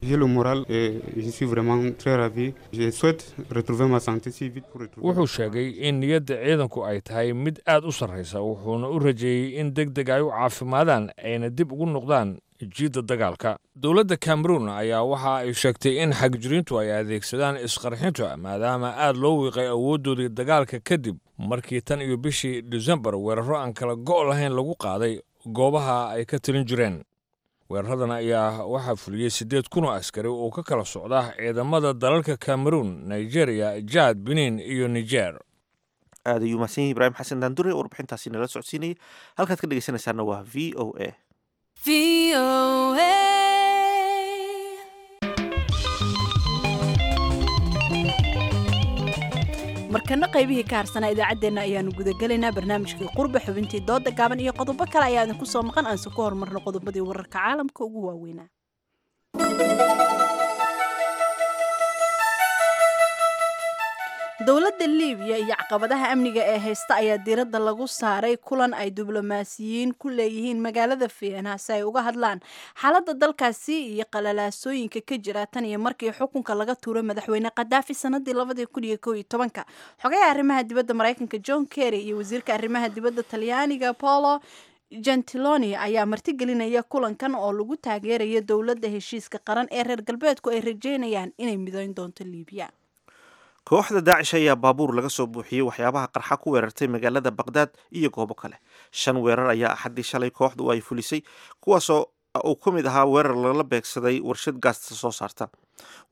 J'ai le moral et je suis vraiment très ravi. Je souhaite retrouver ma santé si vite pour retrouver. Wuxuu sheegay in niyadda ciidanku ay tahay mid aad u sarraysa, wuxuuna u rajeeyey in deg deg ay u caafimaadaan ayna dib ugu noqdaan jiidda dagaalka. Dowladda Cameroon ayaa waxa ay sheegtay in xagjiriintu ay adeegsadaan isqarxinta, maadaama aad loo wiiqay awooddoodii dagaalka kadib markii tan iyo bishii Disembar weerarro aan kala go' lahayn lagu qaaday goobaha ay ka talin jireen. Weeraradan ayaa waxaa fuliyey 8000 oo askari oo ka kala socda ciidamada dalalka Cameroon, Nigeria, Jad, Benin iyo Niger. Aad ayuu mahadsan yahay Ibraahim Xasan Daandure, warbixintaasi nala socodsiinayay. Halkaad ka dhegeysanaysaana waa VOA. Markana qaybihii ka harsanaa idaacaddeenna ayaanu gudagelaynaa. Barnaamijkii Qurba, xubintii dooda gaaban iyo qodobo kale ayaa idinku soo maqan. Aanse ku horumarno qodobadii wararka caalamka ugu waaweynaa. Dowladda Liibiya iyo caqabadaha amniga ee haysta ayaa diiradda lagu saaray kulan ay diblomaasiyiin ku leeyihiin magaalada Vienna si ay uga hadlaan xaaladda dalkaasi iyo qalalaasooyinka ka jira tan iyo markii xukunka laga tuuray madaxweyne Khadaafi sanadii 2011-ka. Xogayaha arrimaha dibadda Mareykanka John Kerry iyo wasiirka arrimaha dibadda Talyaaniga Paolo Gentiloni ayaa martigelinaya kulankan oo lagu taageerayo dowladda heshiiska qaran ee reer galbeedku ay rajeynayaan inay midayn doonto Liibiya. Kooxda Daacish ayaa baabuur laga soo buuxiyey waxyaabaha qarxa ku weerartay magaalada Baqdaad iyo goobo kale. Shan weerar ayaa Axaddii shalay kooxdu ay fulisay, kuwaasoo uu ka mid ahaa weerar lala beegsaday warshad gaasta soo saarta.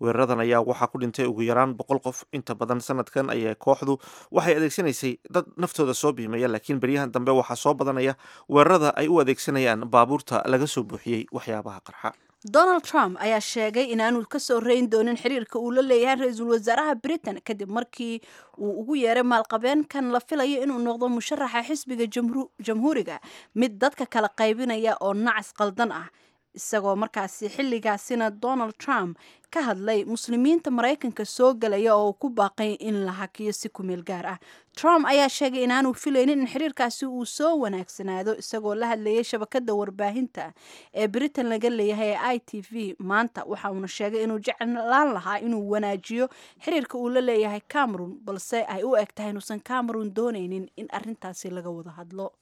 Weeraradan ayaa waxaa ku dhintay ugu yaraan 100 qof. Inta badan sanadkan ayaa kooxdu waxay adeegsanaysay dad naftooda soo biimaya, laakiin beryahan dambe waxaa soo badanaya weerarada ay u adeegsanayaan baabuurta laga soo buuxiyey waxyaabaha qarxa. Donald Trump ayaa sheegay inaanu kasoo reyn doonin xiriirka uu la leeyahay ra-iisul wasaaraha Britain, kadib markii uu ugu yeeray maalqabeenkan la filayo inuu noqdo musharaxa xisbiga Jamhuuriga mid dadka kala qaybinaya oo nacas qaldan ah, isagoo markaasi xilligaasina Donald Trump ka hadlay muslimiinta Maraykanka soo galaya oo ku baaqay in la hakiyo si kumeel gaar ah. Trump ayaa sheegay inaanu filaynin in xiriirkaasi uu soo wanaagsanaado, isagoo la hadlayay shabakada warbaahinta ee Britain laga leeyahay ee ITV maanta. Waxa uuna sheegay inuu jeclaan lahaa inuu wanaajiyo xiriirka uu la leeyahay Cameron, balse ay u eg tahay inuusan Cameron doonaynin in arrintaasi laga wada hadlo.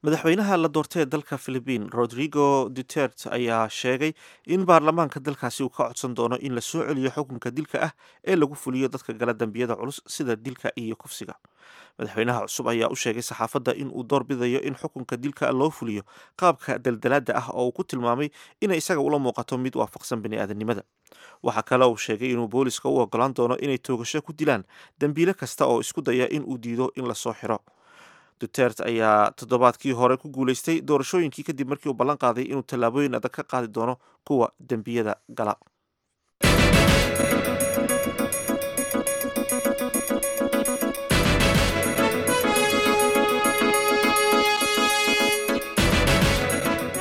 Madaxweynaha la doortay ee dalka Philibiin Rodrigo Duterte ayaa sheegay in baarlamaanka dalkaasi uu ka codsan doono in la soo celiyo xukunka dilka ah ee lagu fuliyo dadka gala dambiyada culus sida dilka iyo kufsiga. Madaxweynaha cusub ayaa u sheegay saxaafadda in uu doorbidayo in xukunka dilka loo fuliyo qaabka daldalaada ah, oo uu ku tilmaamay inay isaga ula muuqato mid waafaqsan bini'aadanimada. Waxaa kale uu sheegay inuu booliska u ogolaan doono inay toogasho ku dilaan dembiile kasta oo isku daya in uu diido in lasoo xiro. Duterte ayaa toddobaadkii hore ku guulaystay doorashooyinkii kadib markii uu ballan qaaday inuu tallaabooyin adag ka qaadi doono kuwa dembiyada gala.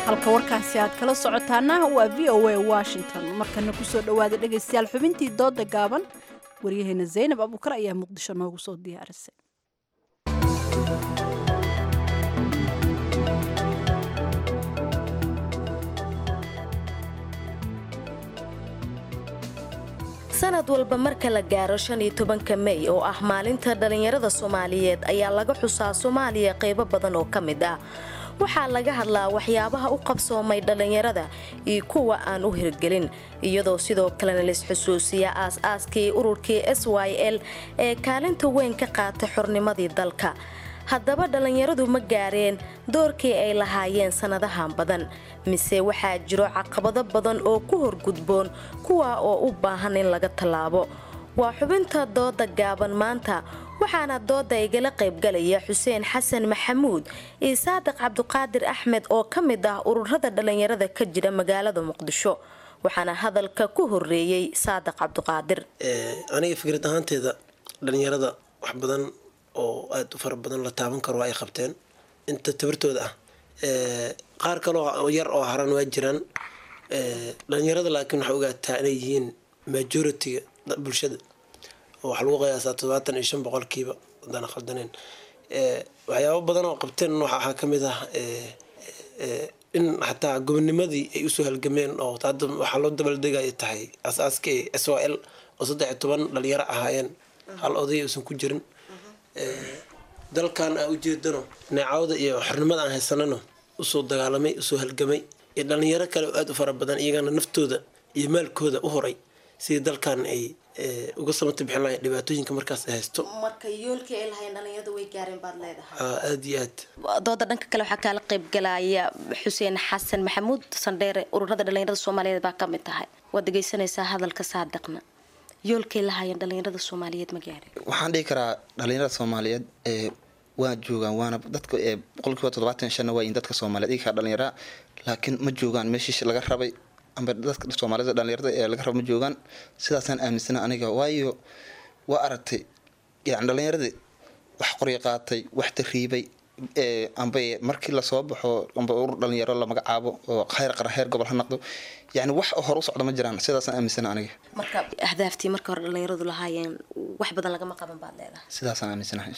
Halka warkaasi aad kala socotaana waa VOA Washington. Markana kusoo dhowaada, dhegaystayaal, xubintii dooda gaaban. Waryaheena Zaynab Abuukar ayaa Muqdisho noogu soo diyaarisay. Sanad walba marka la gaaro 15-ka Mey, oo ah maalinta dhallinyarada Soomaaliyeed, ayaa laga xusaa Soomaaliya qaybo badan oo ka mid ah. Waxaa laga hadlaa waxyaabaha u qabsoomay dhallinyarada iyo kuwa aan u hirgelin, iyadoo sidoo kalena laisxusuusiya aas-aaskii ururkii SYL ee kaalinta weyn ka qaatay xornimadii dalka. Haddaba, dhallinyaradu ma gaareen doorkii ay lahaayeen sannadahan badan, mise waxaa jiro caqabado badan oo ku horgudboon kuwa oo u baahan in laga tallaabo? Waa xubinta dooda gaaban maanta, waxaana dooda igala qaybgalaya Xuseen Xasan Maxamuud iyo Saadiq Cabduqaadir Axmed oo ka mid ah ururada dhalinyarada ka jira magaalada Muqdisho. Waxaana hadalka ku horeeyey Saadiq Cabduqaadir. Aniga fikrad ahaanteeda, dhalinyarada wax badan oo aada u fara badan la taaban karo ay qabteen inta tabartooda ah. Qaar kaloo yar oo haran waa jiraan dhalinyarada, laakiin waxaa ogaataa inay yihiin majority-ga bulshada, oo waxaa lagu qiyaasaa 75% haddaan khaldaneyn. Waxyaabo badan oo qabteen waxaa ka mid ah in xataa gobonimadii ay usoo halgameen, oo hadda waxaa loo dabaldegaya tahay asaaskii SYL oo 13 dhalinyaro ahaayeen, hal oday uusan ku jirin. Dalkan aan ujeedano, neecawda iyo xornimada aan haysanano usoo dagaalamay, usoo halgamay, iyo dhalinyaro kale oo aada u fara badan, iyagana naftooda iyo maalkooda u horay sidii dalkan ay uga samata bixin lahayn dhibaatooyinka markaas ay haysto. Marka yoolkii ay lahayn dhalinyaradu way gaareen baad leedahay? Aada iyo aad. Dooda dhanka kale waxaa kaala qaybgalaya Xuseen Xasan Maxamuud Sandheere, ururada dhalinyarada Soomaaliyeed baa ka mid tahay. Waad dhegeysanaysaa hadalka Saadiqna, yoolkay lahaayeen dhalinyarada Soomaaliyeed ma gaareen? Waxaan dhihi karaa dhalinyarada Soomaaliyeed ee waa joogaan, waana dadka 75%-na waa yihiin dadka Soomaaliyeed iyagaa dhalinyaraa, laakiin ma joogaan meeshii laga rabay, amba dadka Soomaalida dhalinyarada ee laga rabo ma joogaan. Sidaasaan aaminsana aniga, waayo waa aragtay yani dhalinyaradii wax qoryo qaatay, wax tariibay, amba markii lasoo baxo amba urur dhalinyaro la magacaabo oo khayr qaran, heer gobol ha noqdo, yani wax hor u socda ma jiraan. Sidaasaan aaminsana aniga. Marka ahdaaftii marka hore dhalinyaradu lahaayeen wax badan lagama qaban baad leedahay? Sidaasaan aaminsanahay.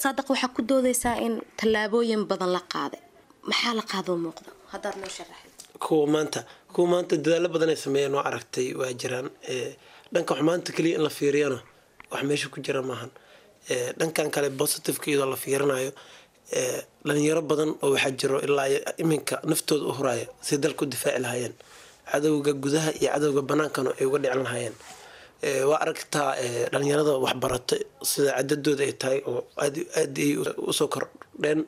Saadiq, waxaa ku doodaysaa in tallaabooyin badan la qaaday. Maxaa la qaadoo muuqda haddaad noo sharaxid? Kuwa maanta dadaalo badan ay sameeyeen waa aragtay, waa jiraan. Dhanka xumaanta keliya in la fiiriyana wax meesha ku jira maahan. Dhankan kale positive-ka iyadoo la fiirinayo, dhalinyaro badan oo waxaa jiro ilaa iminka naftooda u huraya si dalka u difaaci lahaayeen, cadowga gudaha iyo cadowga banaankana ay uga dhicin lahaayeen. Waa aragtaa dhalinyarada waxbarata sida cadadooda ay tahay oo aad aad ay usoo kordheen.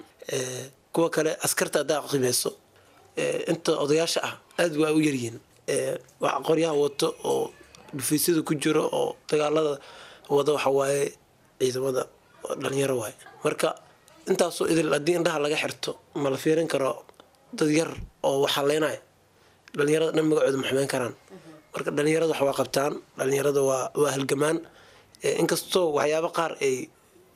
Kuwa kale askarta haddaa qiimeyso, inta odayaasha ah aad waa u yaryihiin. Wax qoryaha wato oo dhufiisyada ku jiro oo dagaalada wada waxa waaye ciidamada dhalinyaro waaye. Marka intaasoo idil haddii indhaha laga xirto, ma la fiirin karo dad yar oo wax haleynaya dhalinyarada dhan magacooda ma xumeyn karaan. Marka dhalinyarada wax waa qabtaan, dhalinyarada waa halgamaan, inkastoo waxyaabo qaar ay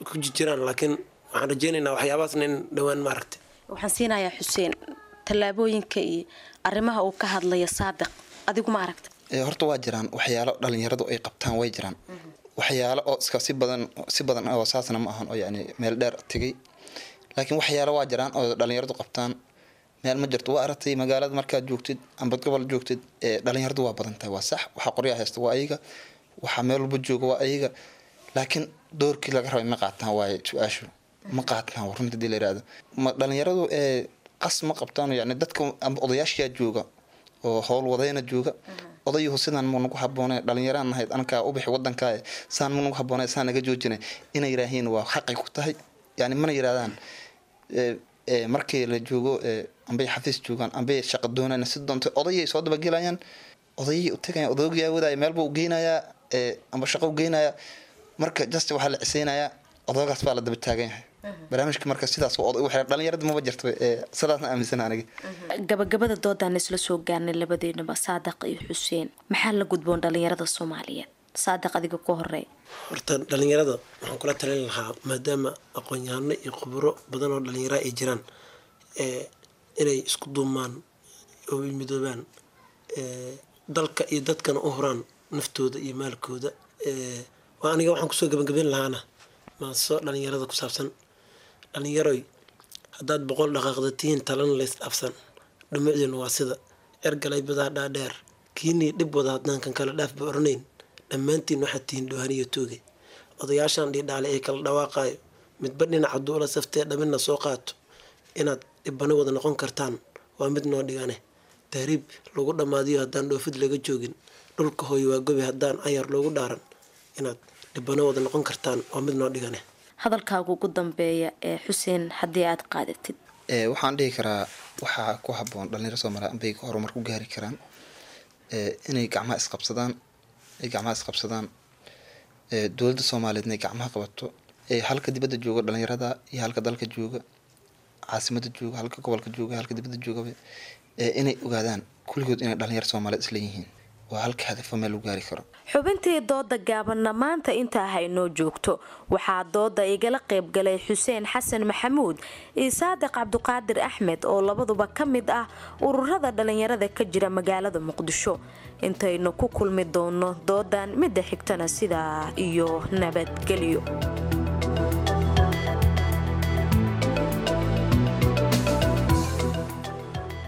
ku jiraan, laakiin waxaan rajeynaynaa waxyaabahaasna in dhowaan maaragtay. Waxaan siinayaa Xuseen tallaabooyinka iyo arrimaha uu ka hadlaya Saadiq, adigu ma aragta? Horta waa jiraan waxyaalo dhalinyaradu ay qabtaan, way jiraan waxyaalo oo iska si badan si badan oo saasna ma ahan oo yani meel dheer tegay, laakiin waxyaalo waa jiraan oo dhalinyaradu qabtaan. Meel ma jirto, waa aragtay magaalada markaad joogtid amba gobol joogtid, dhalinyaradu waa badan tahay, waa sax. Waxaa qoryaa haysta waa ayaga, waxaa meel walba jooga waa ayaga, laakiin doorkii laga rabay ma qaataan waaye su-aashu. Ma qaataan runta hadii la yihahdo. Ma dhalinyaradu qas ma qabtaan, yani dadka amba odayaashiyaa jooga oo howl wadayna jooga. Odayuhu sidaan mu nagu haboone, dhalinyaraan nahayd ankaa ubixi wadankaa, saan mu nagu haboone, saan naga joojina inay yiraahiin waa xaqay ku tahay, yani mana yirahdaan. Markii la joogo ambay xafiis joogaan ambay shaqa doonayaan, si doonto odayay soo dabagelayaan, odayay u tagayaan, odaygaa wadaya meel buu geynayaa amba shaqo u geynayaa. Marka just waxaa la ciseynayaa odaygaas baa la daba taagan yahay barnaamijka. Marka sidaas dhalinyarada maba jirto, sidaasna aaminsana aniga. Gabagabada doodaan isla soo gaarnay labadeenaba, Saadiq iyo Xuseen, maxaa la gudboon dhalinyarada Soomaaliyeed? Saadiq, adiga ku horeey. Horta dhalinyarada waxaan kula talin lahaa, maadaama aqoon-yahano iyo khuburo badan oo dhalinyara ay jiraan, inay isku duumaan oo midoobaan, dalka iyo dadkana u huraan naftooda iyo maalkooda. Aniga waxaan kusoo gabagabeyn lahaana maaso dhalinyarada ku saabsan. Dhalinyaroy, haddaad 100 dhaqaaqdatiin, talana lays dhaafsan, dhumucdiina waa sida ergalay badaa dhaadheer, kiinii dhib wada haddaankan kala dhaafba oranayn, dhammaantiin waxaad tihiin dhoohaniyo tooge. Odayaashan dhiidhaale ee kala dhawaaqaayo, midba dhinac hadduu ula saftee dhamina soo qaato, inaad dhibano wada noqon kartaan waa mid noo dhigane. Tahriib lagu dhammaadiyo haddaan dhoofid laga joogin, dhulka hooyo waa gobi haddaan ayar loogu dhaaran, inaad dhibano wada noqon kartaan waa mid noo dhigane. Hadalkaaga ugu dambeeya ee Xuseen haddii aad qaadatid. Waxaan dhihi karaa waxaa ku haboon dhalinyaro Soomaaliya ambay horumar ku gaari karaan inay gacmaha isqabsadaan, ay gacmaha isqabsadaan. Dowladda Soomaaliyeed inay gacmaha qabato, halka dibadda jooga dhalinyarada iyo halka dalka jooga, caasimada jooga, halka gobolka jooga, halka dibadda joogaba, inay ogaadaan kulligood inay dhalinyaro Soomaaliyeed isla yihiin. Waa halka hadafo meel lagu gaari karo. Xubintii dooda gaabanna maanta intaa haynoo joogto. Waxaa dooda igala qaybgalay Xuseen Xasan Maxamuud iyo Saadiq Cabduqaadir Axmed oo labaduba ka mid ah ururada dhalinyarada ka jira magaalada Muqdisho. Intaynu ku kulmi doono doodan midda xigtana, sidaa iyo nabadgelyo.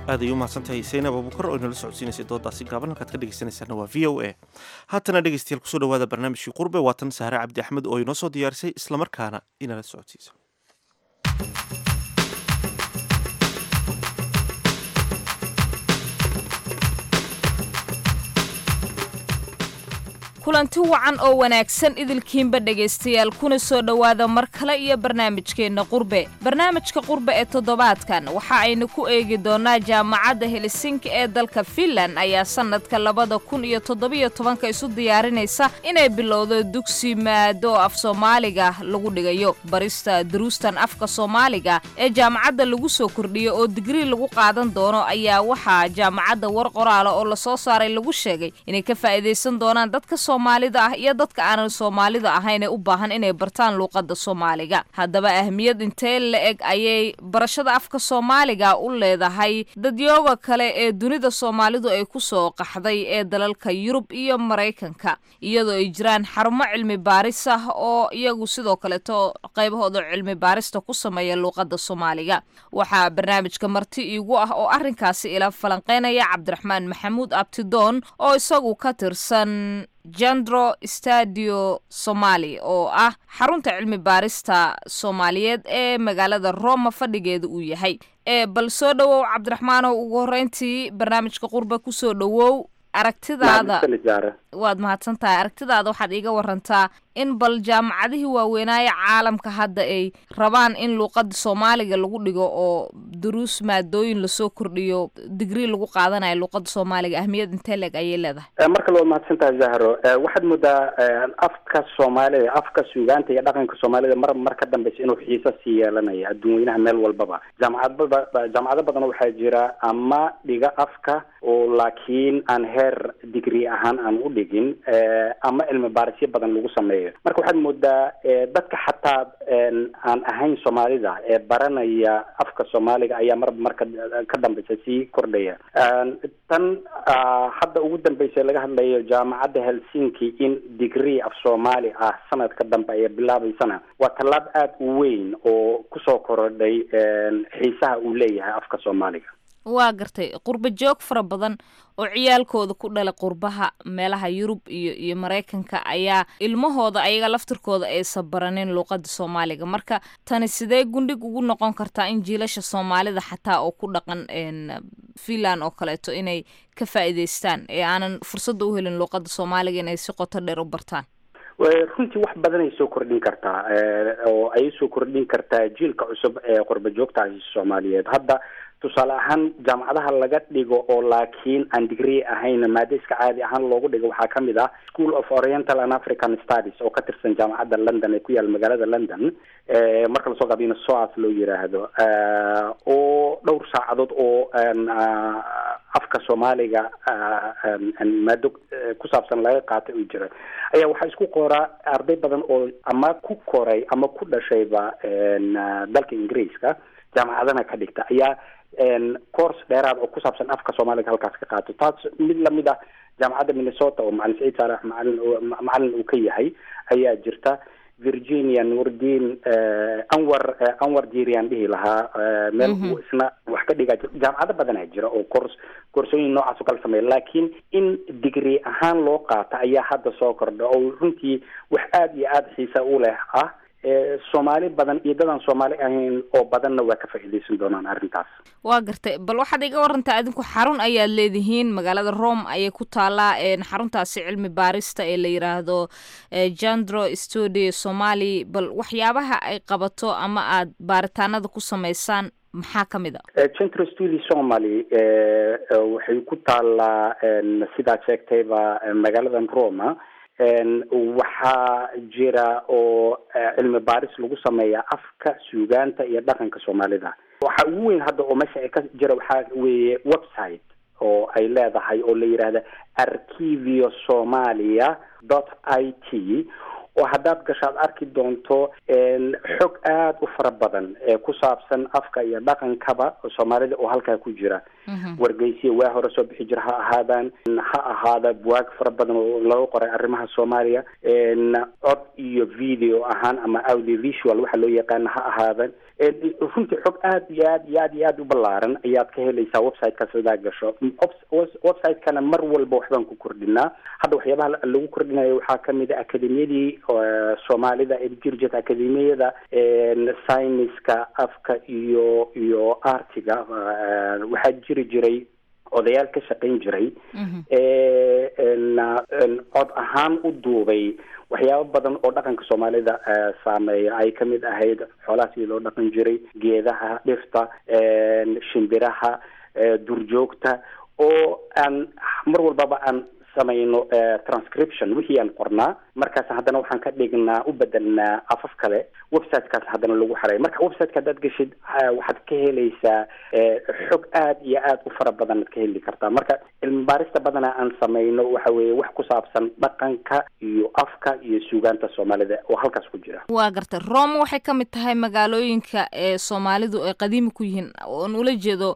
Aad ay u mahadsantahay Saynab Abuukar oo inala socodsiinaysay doodaasi gaaban. Halkaad ka dhegeysanaysaana waa VOA. Haatana dhegeystayaal, kusoo dhawaada barnaamijkii Qurbe. Waatan Sahre Cabdi Axmed oo inoo soo diyaarisay islamarkaana inala socodsiisa. Kulanti wacan oo wanaagsan idilkiinba dhegaystayaal, kuna soo dhowaada mar kale iyo barnaamijkeenna Qurbe. Barnaamijka Qurbe ee toddobaadkan waxa aynu ku eegi doonaa jaamacadda Helsinki ee dalka Finland ayaa sannadka 2017-ka isu diyaarinaysa inay bilowdo dugsi maado af Soomaaliga lagu dhigayo. Barista duruustan afka Soomaaliga ee jaamacadda lagu soo kordhiyo oo digrii lagu qaadan doono ayaa waxaa jaamacadda war qoraala oo lasoo saaray lagu sheegay inay ka faa'iidaysan doonaan dadka Soomaalida ah iyo dadka aanan Soomaalida ahayn ee u baahan inay bartaan luuqadda Soomaaliga. Haddaba ahmiyad intee la eg ayay barashada afka Soomaaliga u leedahay dadyooga kale ee dunida Soomaalidu ay ku soo qaxday ee dalalka Yurub iyo Maraykanka, iyadoo ay jiraan xarumo cilmi baaris ah oo iyagu sidoo kaleeto qaybahooda cilmi baarista ku sameeya luuqadda Soomaaliga? Waxaa barnaamijka marti iigu ah oo arrinkaasi ila falanqeynaya Cabdiraxmaan Maxamuud Abtidoon oo isagu ka tirsan Jandro Stadio Somali oo ah xarunta cilmi baarista Soomaaliyeed ee magaalada Roma fadhigeeda uu yahay. Ee bal soo dhowow Cabdiraxmaanow, ugu horreyntii barnaamijka Qurba kusoo dhowow. Aragtidaada, waad mahadsan tahay, aragtidaada waxaad iiga warantaa in bal jaamacadihii waaweynaaye caalamka hadda ay rabaan in luuqada Soomaaliga lagu dhigo oo duruus maadooyin lasoo kordhiyo, digrii lagu qaadanayo luuqada Soomaaliga, ahmiyad intee leeg ayay leedahay? Marka waad mahadsan tahay Zahro. Waxaad moodaa afka Soomaalida, afka suugaanta iyo dhaqanka Soomaalida mar mar ka dambeysa inuu xiiso sii yeelanayo adduun weynaha meel walbaba. Jaamacadbaba jaamacado badan waxaa jira ama dhiga afka oo laakiin aan heer degree ahaan aan u dhigin, ama cilmi baarisyo badan lagu sameeyo. Marka waxaad moodaa dadka xataa aan ahayn Soomaalida ee baranaya afka Soomaaliga ayaa marba marka ka dambeysa sii kordhaya. Tan hadda ugu dambeysa laga hadlayo jaamacadda Helsinki in degree af Soomaali ah sanadka dambe ay bilaabeysana waa tallaab aada u weyn oo kusoo korodhay xiisaha uu leeyahay afka Soomaaliga. Waa gartay. Qurba joog fara badan oo ciyaalkooda ku dhalay qurbaha meelaha Yurub iyo Maraykanka ayaa ilmahooda ayaga laftirkooda aysan baranin luuqada Soomaaliga. Marka tani sidee gundhig ugu noqon kartaa in jiilasha Soomaalida xataa oo ku dhaqan Finland oo kaleeto inay ka faa'iidaystaan ee aanan fursadda u helin luuqada Soomaaliga inay si qoto dheer u bartaan? Runtii wax badan ay soo kordhin kartaa, oo ay soo kordhin kartaa jiilka cusub ee qurba joogtaasi Soomaaliyeed. Hadda tusaale ahaan jaamacadaha laga dhigo oo laakiin aan degree ahayn, maado iska caadi ahaan loogu dhigo, waxaa kamid ah School of Oriental and African Studies oo ka tirsan jaamacadda London ee ku yaal magaalada London, marka lasoo gaabiyana SOAS loo yiraahdo, oo dhowr saacadood oo afka Soomaaliga maado ku saabsan laga qaatay uu jira ayaa waxaa isku qoraa arday badan oo ama ku koray ama ku dhashayba dalka Ingiriiska, jaamacadana ka dhigta, ayaa course dheeraad oo ku saabsan afka Soomaaliga halkaas ka qaato. Taas mid lamid ah jaamacadda Minnesota oo Macalin Saciid Saalax macalin uu ka yahay ayaa jirta. Virginia Nuurdiin Anwar Jirian dhihi lahaa meel uu isna wax ka dhigaa. Jaamacado badanaa jira oo koorsooyin noocaas oo kala sameeya, laakiin in degree ahaan loo qaato ayaa hadda soo kordha oo runtii wax aada iyo aada xiisa u leh ah. Soomaali badan iyo dadaan Soomaali ahayn oo badanna waa ka faa'iidaysan doonaan arrintaas. Waa gartay. Bal waxaad iga warantaa, adinku xarun ayaad leedihiin, magaalada Rome ayay ku taalaa xaruntaasi cilmi baarista ee la yiraahdo Jandro Studio Somali. Bal waxyaabaha ay qabato ama aad baaritaanada ku sameysaan maxaa ka mid a? Centro Studio Somali waxay ku taalaa, sidaad sheegtayba, magaaladan Roma. Waxaa jira oo cilmi baaris lagu sameeyaa afka, suugaanta iyo dhaqanka Soomaalida. Waxa ugu weyn hadda oo meesha ay ka jira waxaa weeye website oo ay leedahay oo la yidhaahda archiviosomalia.it, oo haddaad gasho aad arki doonto xog aada u fara badan ee ku saabsan afka iyo dhaqankaba Soomaalida oo halkaa ku jira. Wargeysiya waa hore soo bixi jira ha ahaadaan, ha ahaada buwaag fara badan oo laga qoray arrimaha Soomaaliya, cod iyo video ahaan ama audio visual waxa loo yaqaana ha ahaadan. Runtii xog aad iyo aad iyo aad iyo aad u ballaaran ayaad ka helaysaa websitekaas hadaa gasho. Website-kana mar walba waxbaan ku kordhinaa. Hadda waxyaabaha lagu kordhinayo waxaa kamid a akademiyadii Soomaalida ee jiri jirta, akademiyada sayniska, afka iyo artiga. Waxaa jiri jiray odayaal ka shaqayn jiray, cod ahaan u duubay waxyaabo badan oo dhaqanka Soomaalida saameeya, ay kamid ahayd xoolaha sidii loo dhaqan jiray, geedaha, dhirta, shimbiraha, durjoogta, oo aan mar walbaba aan samayno transcription wixii aan qornaa. Markaas haddana waxaan ka dhignaa, u bedelnaa afaf kale, websitekaas haddana lagu xaray. Marka websiteka haddaad geshid waxaad ka helaysaa xog aad iyo aad u fara badan aad ka heli kartaa. Marka cilmi baarista badanaa aan samayno waxa weeye wax ku saabsan dhaqanka iyo afka iyo suugaanta Soomaalida oo halkaas ku jira. Waa gartay. Rome waxay ka mid tahay magaalooyinka ee Soomaalidu ay qadiimi ku yihiin, oon ula jeedo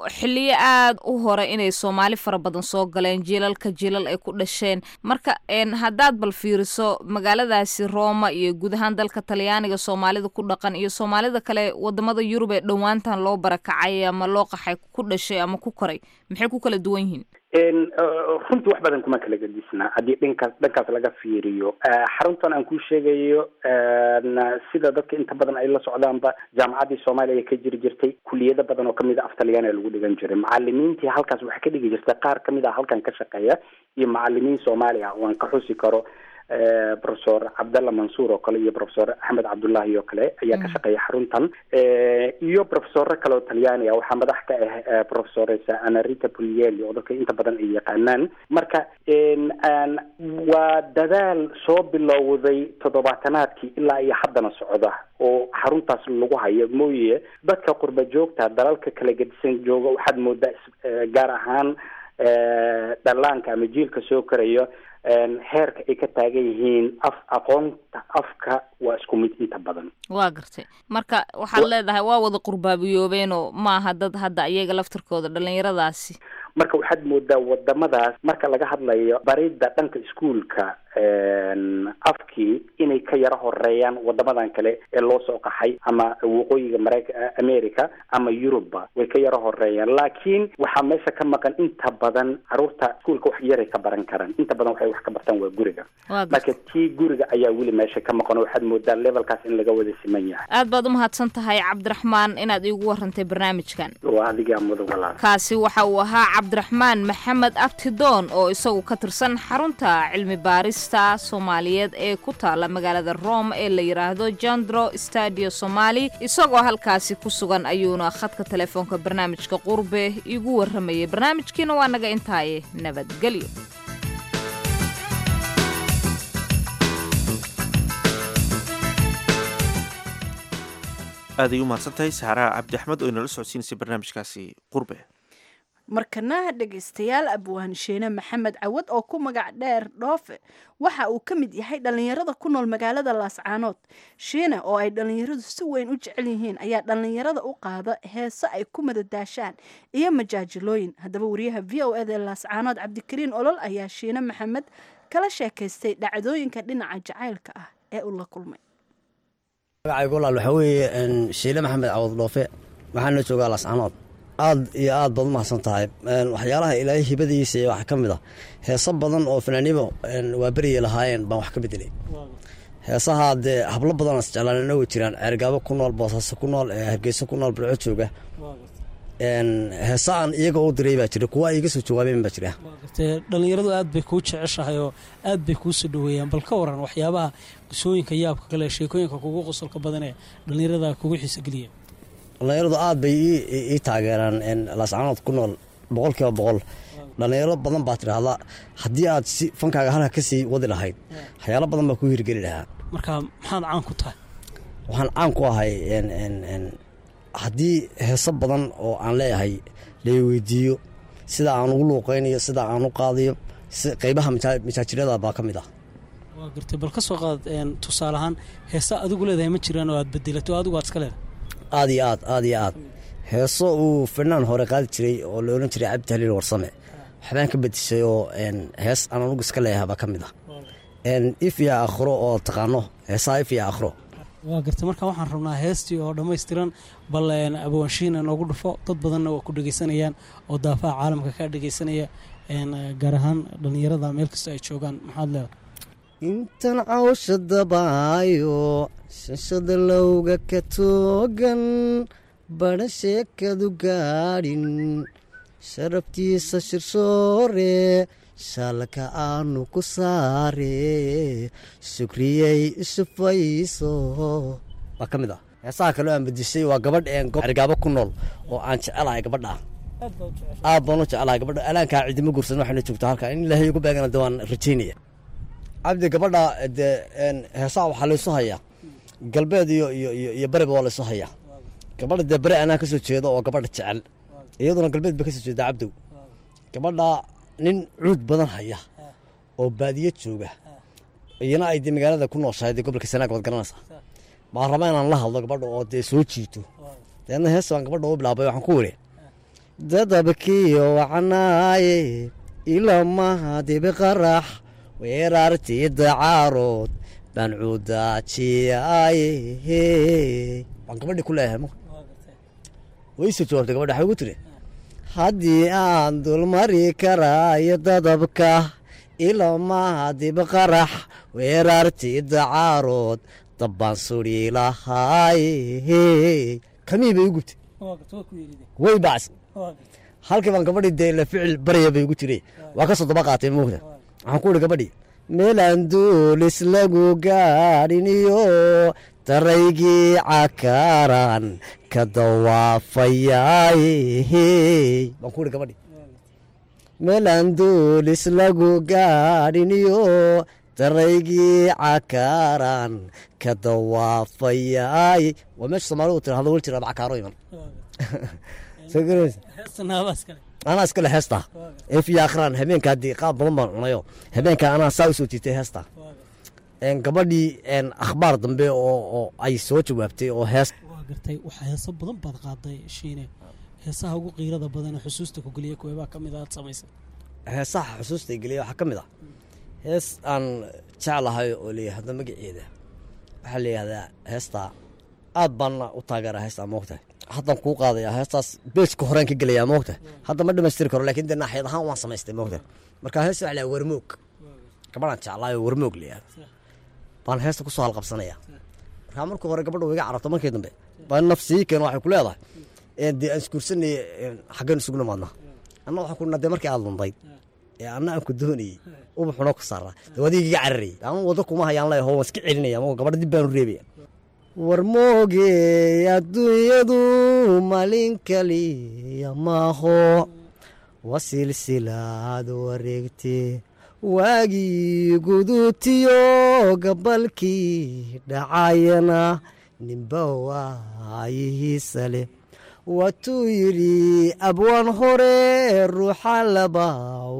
xilliyo aada u hore inay Soomaali fara badan soo galeen, jiilalka jiilal ay ku dhasheen. Marka haddaad bal fiiriso magaaladaasi Roma iyo guud ahaan dalka Talyaaniga Soomaalida ku dhaqan iyo Soomaalida kale wadamada Yurub ee dhowaantan loo barakacay ama loo qaxay ku dhashay ama ku koray, maxay ku kala duwan yihiin? Runtii wax badan kuma kala gedisna haddii dhankaas dhankaas laga fiiriyo. Xaruntan aan kuu sheegayo, sida dadka inta badan ay la socdaanba, jaamacaddii Soomaaliya ka jiri jirtay, kuliyado badan oo kamid a af Talyaaniga lagu dhigan jiray. Macalimiintii halkaas waxaa ka dhigi jirtay qaar kamid ah halkan ka shaqeeya iyo macalimiin Soomaali ah oo aan ka xusi karo Professor Cabdalla Mansuur oo kale iyo Professor Axmed Cabdullahi oo kale ayaa ka shaqeeya xaruntan, iyo professorro kale oo Talyaani ah. Waxaa madax ka ah Professoresa Anarita Puglielli oo dadka inta badan ay yaqaanaan. Marka waa dadaal soo bilowday toddobaatanaadkii ilaa iyo haddana socda oo xaruntaas lagu hayo mooye. Dadka qurba joogta dalalka kala gedisan jooga waxaad moodaa, gaar ahaan dhallaanka ama jiilka soo korayo, heerka ay ka taagan yihiin af aqoonta afka waa isku mid inta badan. Waa gartay. Marka waxaad leedahay waa wada qurbaabiyoobeenoo maaha dad hadda iyaga laftirkooda dhalinyaradaasi. Marka waxaad moodaa wadamadaas marka laga hadlayo baridda dhanka iskuolka afkii inay ka yaro horeeyaan wadamadan kale ee loo soo qaxay, ama waqooyiga Mareyka, America ama Yurubba way ka yaro horeeyaan. Laakiin waxaa meesha ka maqan inta badan caruurta iskuolka wax yaray ka baran karaan, inta badan waxay wax ka bartaan waa guriga. Marka tii guriga ayaa weli meesha ka maqan oo waxaad moodaa levelkaas in laga wada siman yahay. Aad baad umahadsan tahay Cabdiraxmaan inaad iigu warantay barnaamijkan. Waa adigaa mudan, walaal. Kaasi waxa uu ahaa Cabdiraxmaan Maxamed Abtidoon oo isagu ka tirsan xarunta cilmi baarista Soomaaliyeed ee ku taala magaalada Rome ee la yidhaahdo Jandro Stadio Somali. Isagoo halkaasi ku sugan ayuuna khadka telefoonka barnaamijka Qurbe iigu warramayay. Barnaamijkiina waa naga intaaye, nabadgelyo. Aad ay u mahadsan tahay Saxaraha Cabdi Axmed oo inala socodsiinaysay barnaamijkaasi Qurbe. Markana dhegaystayaal, Abwaan Sheene Maxamed Cawad oo ku magac dheer Dhoofe waxa uu ka mid yahay dhallinyarada ku nool magaalada Laascaanood. Shiine oo ay dhallinyaradu si weyn u jecel yihiin ayaa dhallinyarada u qaada heese ay ku madadaashaan iyo majaajilooyin. Haddaba wariyaha VOA da ee Laascaanood, Cabdikariin Olol, ayaa Shiine Maxamed kala sheekaystay dhacdooyinka dhinaca jacaylka ah ee uu la kulmay. Magacaygu walaal waxaa weeye Shiile Maxamed Cawad Dhoofe, waxaana joogaa Laascaanood. Aad iyo aad baad u mahadsan tahay. Waxyaalaha Ilaahay hibadiisa iyo waxaa ka mid ah heeso badan oo fanaanibo waa beriyay lahaayeen baan wax ka bedelay. Heesaha dee hablo badan oo isjeclaanina way jiraan, Ceergaabo ku nool, Boosaaso ku nool, Hargeysa ku nool, Balco jooga. Heesa aan iyaga u diray baa jira, kuwa ay iga soo jawaabeen baa jira. Dhallinyaradu aad bay kuu jeceshahay oo aad bay kuu soo dhaweeyaan. Bal ka waran waxyaabaha qisooyinka yaabka kale, sheekooyinka kugu qosolka badan ee dhallinyarada kugu xiisa geliya? Dhallinyaradu aad bay ii taageeraan, Laascaanood ku nool 100%. Dhalinyaro badan baa tidhaahdaa haddii aad si fankaaga halka kasii wadi lahayd, waxyaalo badan baa ku hirgeli lahaa. Marka maxaad caan ku tahay? Waxaan caan ku ahay haddii heeso badan oo aan leeyahay la weydiiyo, sida aan ugu luuqeynayo, sida aan u qaadayo, qeybaha majaajirada baa ka mid ah. Waa gartay. Bal ka soo qaad tusaale ahaan, heesa adigu leedahay ma jiraan oo aad bedelato, adigu aad iska leedahay? Aad iyo aad, aad iyo aad. Heeso uu fanaan hore qaadi jiray oo la odhan jiray Cabdi Haliil Warsame waxbaan ka bedeshay, oo hees aan anugu iska leeyahay baa ka mid ah, If iyo Aakhiro, oo taqaano heesaha If iyo Aakhiro. Waa gartay. Marka waxaan rabnaa heestii oo dhammaystiran. Bal abwaanshiina noogu dhufo. Dad badanna waa ku dhegeysanayaan oo daafaha caalamka kaa dhegeysanaya, gaar ahaan dhallinyarada meel kasta ay joogaan. Maxaad leedahay? Intan cawsha dabaayo, shashada lowga ka toogan, badha sheekadu gaadhin, sharaftiisa shirsoore, shaalka aanu ku saare, shukriyay ishufayso, waa ka mid ah. Heesaha kaleo aan bedishay waa gabadh Cergaabo ku nool oo aan jecelahay. Gabadha aad baan u jecelahay. Gabadha alaankaa cidima guursan, waxayna joogtaa halkaa. In Ilaahay ugu beegana de waan rajaynaya. Cabdi, gabadha dee heesaha waxaa laysu hayaa galbeed iyo bariba waa laysu hayaa. Gabadha dee bari anaa kasoo jeedo oo gabadha jecel, iyaduna galbeed bay kasoo jeedaa. Cabdow, gabadha nin cuud badan haya oo baadiyo jooga, iyana ay dee magaalada ku nooshahay, dee gobolka Sanaag waad garanaysaa, baan rabaa inaan la hadlo gabadha oo dee soo jiito. Deedna hees baan gabadha u bilaabay. Waxaan ku wiri: Dadabkiyo wacnaaye, ilamaha dibi qarax, weerartii dacaarood baan cuudaajiyaaye, baan gabadhii ku leeyahay. Ma way soo jawaabtay gabadha. Waxay ugu tiri: Haddii aan dulmari karaayo dadabka, ilamaha dibqarax, weerartii dacaarood, dabbaan suri lahaaye. Kamii bay u gubtay, way bacsi. Halkii baan gabadhii dee la ficil baraya bay ugu jiray, waa ka soo daba qaatay moogta. Waxaan ku ihi gabadhii: Meelaan duulis lagu gaadhin iyo daraygii cakaaran ka dawaafayaaye, baan ku ihi gabadhii. Meelaan duulis lagu gaadhin iyo daraygii cakaaran ka dawaafayaaye. Waa meesha Soomaalidu tirahdo wel jira cakaaro iman. Soo garanaysa, anaa iskale heesta If iyo Akhraan. Habeenka haddii qaab badan baan cunayo, habeenka anaa saa usoo jiitay heesta. Gabadhii akhbaar dambe oo ay soo jawaabtay oo hees Waa gartay. Waxaa heeso badan baad qaaday, Shiine. Heesaha ugu qiirada badan ee xusuusta ku geliya kuweebaa ka mid aad samaysay? Heesaha xusuusta geliya waxaa ka mid ah hees aan jeclahay oo la yidhaahdo, magaceeda waxaa la yidhahdaa heestaa, aad baana u taageeraa heestaa moogtahay. Haddaan kuu qaadaya heestaas, beejka horeen ka gelayaa moogtahay. Hadda ma dhamaystiri karo, laakiin dee naaxiyad ahaan waan samaystay moogtahay. Marka heesta waxaa la yidhahdaa Warmoog. Gabadhaan jeclaayo Warmoog la yidhahdo baan heesta kusoo halqabsanaya. Markaa markii hore gabadha way iga carabto, markii dambe baa nafsii keen. Waxay ku leedahay: Dee aan isguursanay, xaggeen isugu nimaadnaa? Anna waxaan ku dee markii aad lunday ee anna aan ku doonayey, ubaxuna ku saaraa, dee adiga iga cararayay, ama wado kuma hayaan leeyaho, waan iska celinaya ama gabadha dib baanu reebaya. Warmoogey, adduunyadu maalin kaliya maaho, waa silsilaad wareegte, waagii guduutiyo gabalkii dhacayana ninba waayihiisa leh. Waatuu yidhi abwaan hore: Ruuxa laba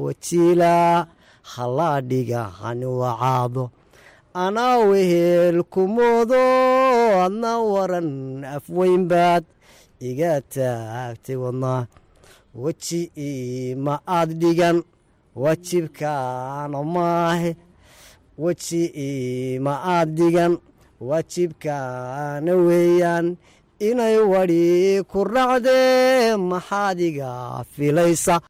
wajiila halaa dhigahani wacaado, anaa wehel kumoodo, adna waran afweyn baad iga taagtay wadnaa, weji ma aad dhigan, waajibkaana maahe, weji ma aad dhigan, waajibkaana weeyaan inay wadhi ku raacdee, maxaad iga filaysa?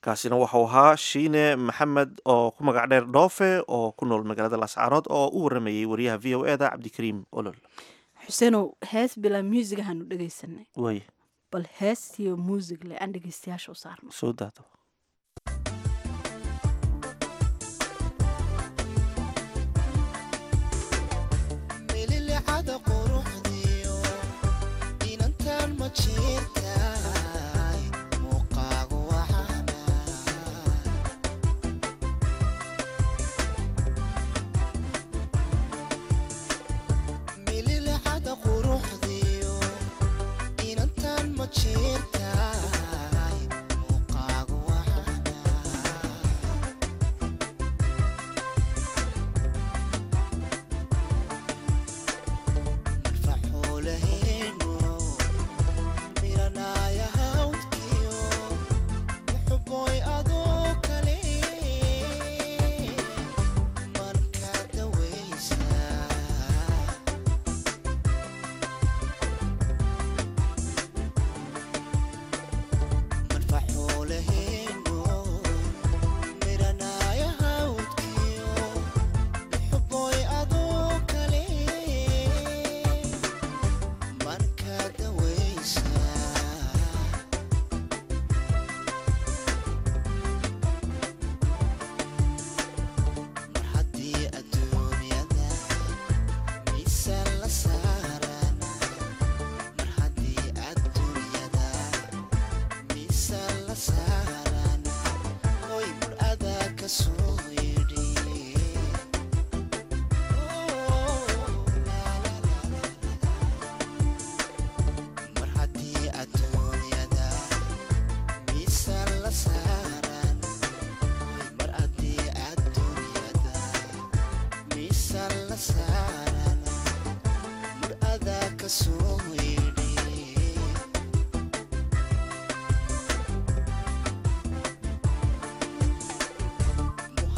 Kaasina waxau ahaa Shiine Maxamed oo ku magac dheer Dhoofe, oo ku nool magaalada Laascaanood, oo u waramayey wariyaha VOA da Cabdikariim Olol. Xuseenow, hees bilaa muusig ahaanu dhegaysanay. Way. Bal heestiyo muusig le aan dhegaystayaasha u saarno. Soo daado. Mililicada quruxdiyo inantan ma jirtaay, muuqaagu waxaana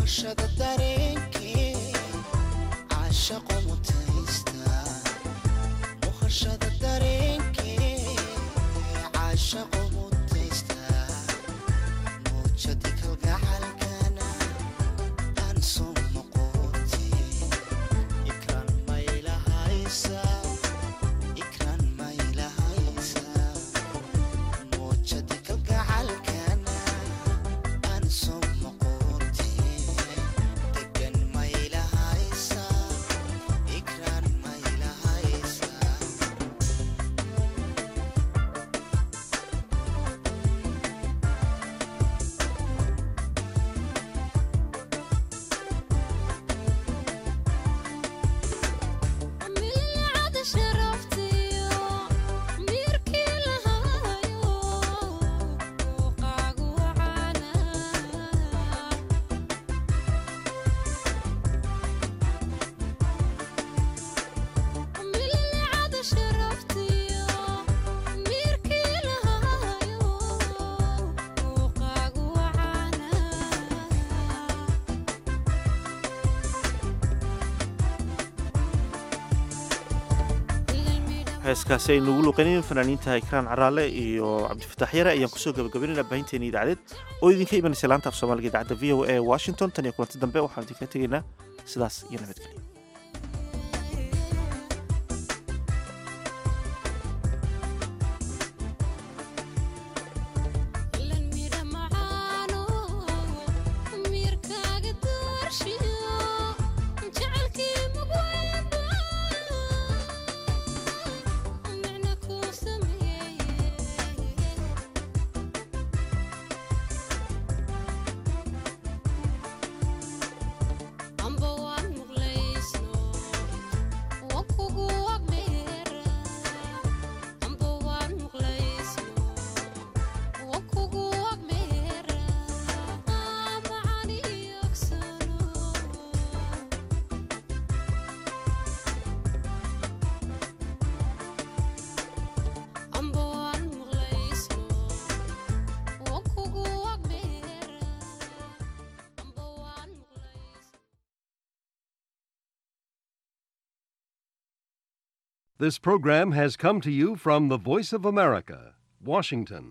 Muuqashada dareenkee caashaqo mutaysta, muuqashada dareenkee caashaqo mutaysta, muujadi kalgacalkana aan soo noqotay. Ikraan maylahaysa, ikraan maylahaysa, muujadi kalgacalkana aan soo noqotay. Degan maylahaysa, ikraan maylahaysa. Milcada sharaftiyo miirkii lahaayo muuqaagu wacaana. Milcada sharaftiyo miirkii lahaayo muuqaagu wacaana. Heeskaasi aynu ugu luuqeynayeen fanaaniinta Ikraan Caraale iyo Cabdifataax Yare ayaan kusoo gabagabaynayna baahinteena idaacadeed oo idinka imanaysa laanta af Soomaaliga idaacadda VOA Washington. Tan iyo kulanti dambe, waxaan idinkaga tegaynaa sidaas iyo nabadgelyo. Ilan midha macaano miirkaaga doorshiyo jecelkii mugweyba micna kuu sameeye. Amba waan muqlaysno waan kugu agdheera, amba waan muqlaysno wakugu agmeera macani ogsano. Amba waan muqlaysno wakugu agmeera, amba waan This program has come to you from the Voice of America, Washington.